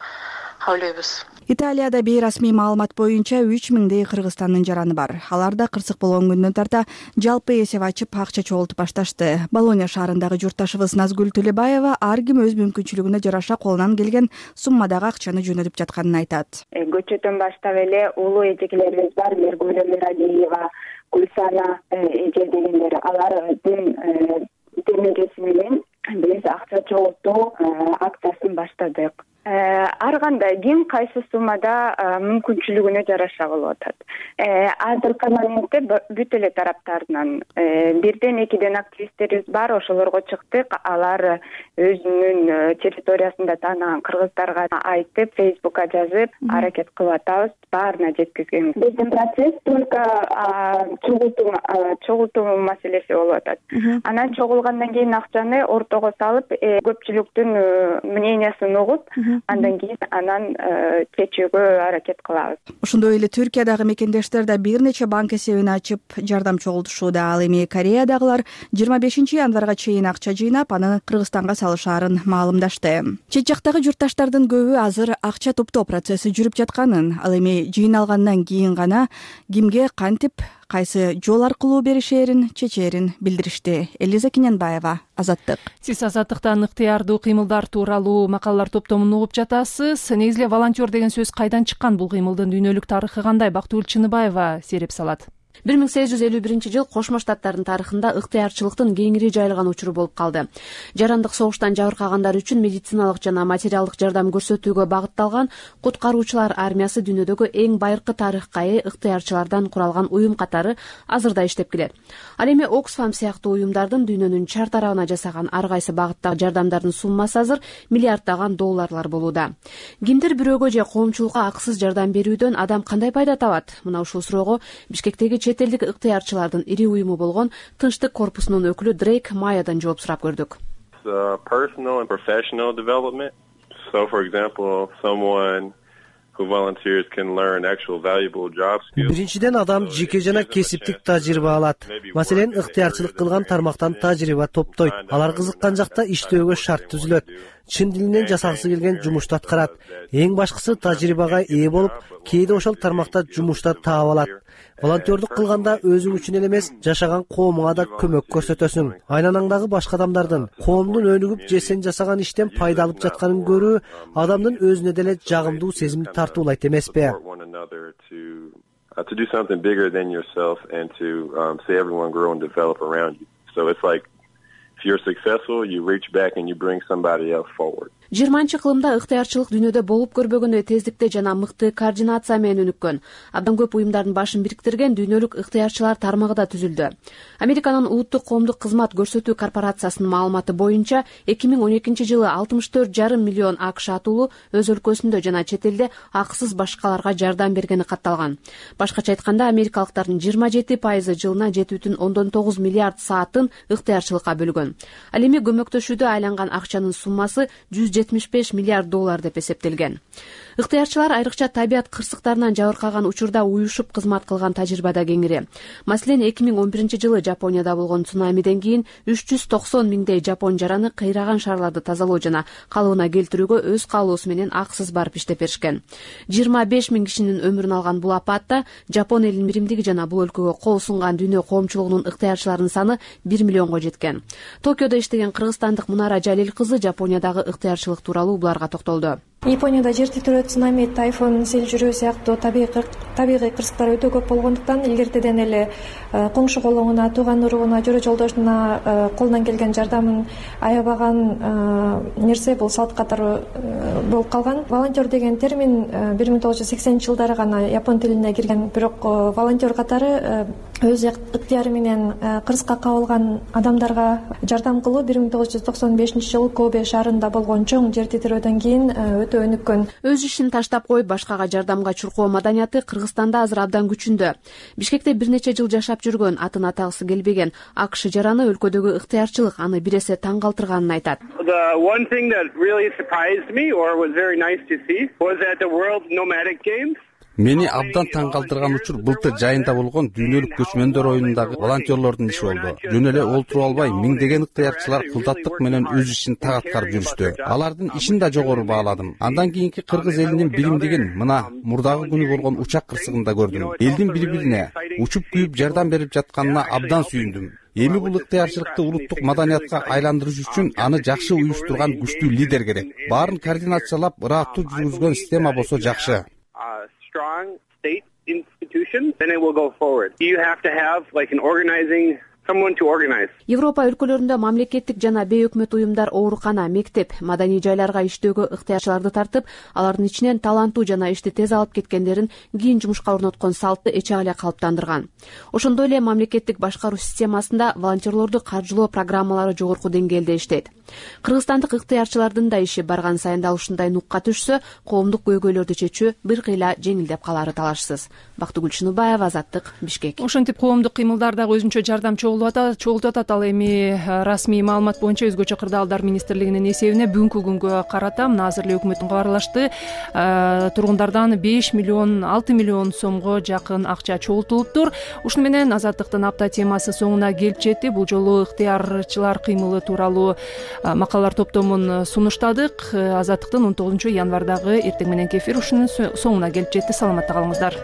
Speaker 2: ойлойбуз.
Speaker 14: Италияда бейрасмий маалымат боюнча 3000 Кыргызстандын жараны бар. Алар да кырсык болгон күндөн тарта жалпы эсеп ачып акча чогултуп башташты. Болония шаарындагы журтташыбыз Назгүл Төлөбаева ар ким өз мүмкүнчүлүгүнө жараша колунан келген суммадагы акчаны жөнөтүп жатканын айтат.
Speaker 5: Көчөтөн баштап эле улуу эжекелерибиз бар, Мергуль Миралиева, Гүлсана эже дегендер, алардын демежеси менен биз акча чогултуу акциясын баштадык. Ар кандай ким кайсы суммада мүмкүнчүлүгүнө жараша болуп атат. Азыркы моментте бүт эле тараптарынан 1-2 активисттерибиз бар, ошолорго чыктык. Алар өзүнүн территориясында таанаган кыргыздарга айтып, Facebook'ка жазып, аракет кылып атабыз, баарына жеткизгенбиз. Биздин процесс только чогултуу маселеси болуп атат. Анан чогулгандан кийин акчаны ортого салып, көпчүлүктүн мнениясын угуп, андан кийин чечүүгө аракет кылабыз.
Speaker 14: Ошондой эле Түркиядагы мекендештер да бир нече банк эсебин ачып жардам чогултушууда. Ал эми Кореядагылар 25 январга чейин акча жыйнап, аны Кыргызстанга салышаарын маалымдашты. Чет жактагы журтташтардын көбү азыр акча топтоо процесси жүрүп жатканын, ал эми жыйналгандан кийин гана кимге кантип кайсы жол аркылуу беришээрин чечээрин билдиришти. Элиза Киненбаева, Азаттык.
Speaker 1: Сиз Азаттыктан ыктыярдуу кыймылдар тууралуу макалалар топтомун угуп жатасыз. Негизи эле волонтер деген сөз кайдан чыккан, бул кыймылдын дүйнөлүк тарыхы кандай? Бактыгүл Чыныбаева сереп салат.
Speaker 17: 1851 жыл Кошмо Штаттардын тарыхында ыктыярчылыктын кеңири жайылган учуру болуп калды. Жарандык согуштан жабыркагандар үчүн медициналык жана материалдык жардам көрсөтүүгө багытталган куткаруучулар армиясы дүйнөдөгү эң байыркы тарыхка ээ ыктыярчылардан куралган уюм катары азырда иштеп келет. Ал эми Оксфам сыяктуу уюмдардын дүйнөнүн чар тарабына жасаган ар кайсы багыттагы жардамдардын суммасы азыр миллиарддаган долларлар болууда. Кимдир бирөөгө же коомчулукка акысыз жардам берүүдөн адам кандай пайда табат? Мына ушул суроого Бишкектеги чет элдик ыктыярчылардын ири уюму болгон Тынчтык корпусунун өкүлү Дрейк Майядан жооп сурап көрдүк.
Speaker 18: Personal and professional development. So, for example, someone who volunteers can learn actual valuable job skills.
Speaker 19: Биринчиден адам жеке жана кесиптик тажрыйба алат. Маселен, ыктыярчылык кылган тармактан тажрыйба топтойт. Алар кызыккан жакта иштөөгө шарт түзүлөт. Чын дилинен жасагысы келген жумушту аткарат. Эң башкысы тажрыйбага ээ болуп, кээде ошол тармакта жумушта таап алат. Волонтердук кылганда өзүң үчүн эле эмес, жашаган коомуңа да көмөк көрсөтөсүң. Айланаңдагы башка адамдардын, коомдун өнүгүп же сен жасаган иштен пайда алып жатканын көрүү адамдын өзүнө деле жагымдуу сезимди тартуулайт эмеспи?
Speaker 18: To do something bigger than yourself and to see everyone grow and develop around you. So it's like if you're successful, you reach back and you bring somebody else forward.
Speaker 17: 20-кылымда ыктыярчылык дүйнөдө болуп көрбөгөндөй тездикте жана мыкты координация менен өнүккөн. Абдан көп уюмдардын башын бириктирген дүйнөлүк ыктыярчылар тармагы да түзүлдү. Американын улуттук коомдук кызмат көрсөтүү корпорациясынын маалыматы боюнча 2012 жылы 64,5 миллион АКШ атуулу өз өлкөсүндө жана чет элде акысыз башкаларга жардам бергени катталган. Башкача айтканда, америкалыктардын 27% жылына 7,9 миллиард саатын ыктыярчылыкка бөлгөн. Ал эми көмөктөшүүдө айланган акчанын суммасы 175 миллиард доллар деп эсептелген. Ыктыярчылар айрыкча табият кырсыктарынан жабыркаган учурда уюшуп кызмат кылган тажрыйбада кеңири. Маселен, 2011 жылы Жапонияда болгон цунамиден кийин 390 миңдей жапон жараны кыйраган шаарларды тазалоо жана калыбына келтирүүгө өз каалоосу менен акысыз барып иштеп беришкен. 25 000 кишинин өмүрүн алган бул апатта Жапон элинин биримдиги жана бул өлкөгө кол сунган дүйнө коомчулугунун ыктыярчыларынын саны 1 миллионго жеткен. Токиодо иштеген кыргызстандык Мунара Жалил кызы Жапониядагы ыктыярчылык тууралуу буларга токтолду.
Speaker 6: Японияда жер титирөө, цунами, тайфун, сел жүрүү сыяктуу табигый кырсыктар өтө көп болгондуктан илгертеден эле коңшу колуңуна, тууган уругуна, жөрө жолдошуна колунан келген жардамын аябаган нерсе бул салт катары болуп калган. Волонтер деген термин 1980-жылдары гана япон тилине кирген, бирок волонтер катары өз ыктыяры менен кырсыкка кабылган адамдарга жардам кылуу 1995-жылы Кобе шаарында болгон чоң жер титирөөдөн кийин өтө өнүккөн.
Speaker 17: Өз ишин таштап коюп башкага жардамга чуркоо маданияты Кыргызстанда азыр абдан күчүндө. Бишкекте бир нече жыл жашап жүргөн, атын атагысы келбеген АКШ жараны өлкөдөгү ыктыярчылык аны бир эсе таң калтырганын айтат.
Speaker 20: The one thing that really surprised me or was very nice to see was at the World Nomadic Games.
Speaker 21: Мени абдан таң калтырган учур былтыр жайында болгон дүйнөлүк көчмөндөр оюнундагы волонтерлордун иши болду. Жөн эле олтуруп албай, миңдеген ыктыярчылар кылдаттык менен өз ишин так аткарып жүрүштү. Алардын ишин да жогору бааладым. Андан кийинки кыргыз элинин билимдигин мына мурдагы күнү болгон учак кырсыгында көрдүм. Элдин бири-бирине учуп күйүп жардам берип жатканына абдан сүйүндүм. Эми бул ыктыярчылыкты улуттук маданиятка айландырыш үчүн аны жакшы уюштурган күчтүү лидер керек. Баарын координациялап, ыраттуу жүргүзгөн система болсо жакшы.
Speaker 20: Strong state institution, then it will go forward. You have to have like an organizing someone to organize.
Speaker 17: Европа өлкөлөрүндө мамлекеттик жана бейөкмөт уюмдар оорукана, мектеп, маданий жайларга иштөөгө ыктыярчыларды тартып, алардын ичинен таланттуу жана ишти тез алып кеткендерин кийин жумушка орноткон салтты эче эле калыптандырган. Ошондой эле мамлекеттик башкаруу системасында волонтерлорду каржылоо программалары жогорку деңгээлде иштейт. Кыргызстандык ыктыярчылардын да иши барган сайын дал ушундай нукка түшсө, коомдук көйгөйлөрдү чечүү бир кыйла жеңилдеп калары талашсыз. Бактыгүл Чыныбаева, Азаттык, Бишкек.
Speaker 1: Ошентип коомдук кыймылдар дагы өзүнчө жардам чогултуп атат. Ал эми расмий маалымат боюнча өзгөчө кырдаалдар министрлигинин эсебине бүгүнкү күнгө карата мына азыр эле өкмөт кабарлашты. Тургундардан 6 миллион сомго жакын акча чогултулуптур. Ушуну менен Азаттыктын апта темасы соңуна келип жетти. Бул жолу ыктыярчылар кыймылы тууралуу макалалар топтомун сунуштадык. Азаттыктын 19 январдагы эртең мененки эфир ушунун соңуна келип жетти. Саламатта калыңыздар.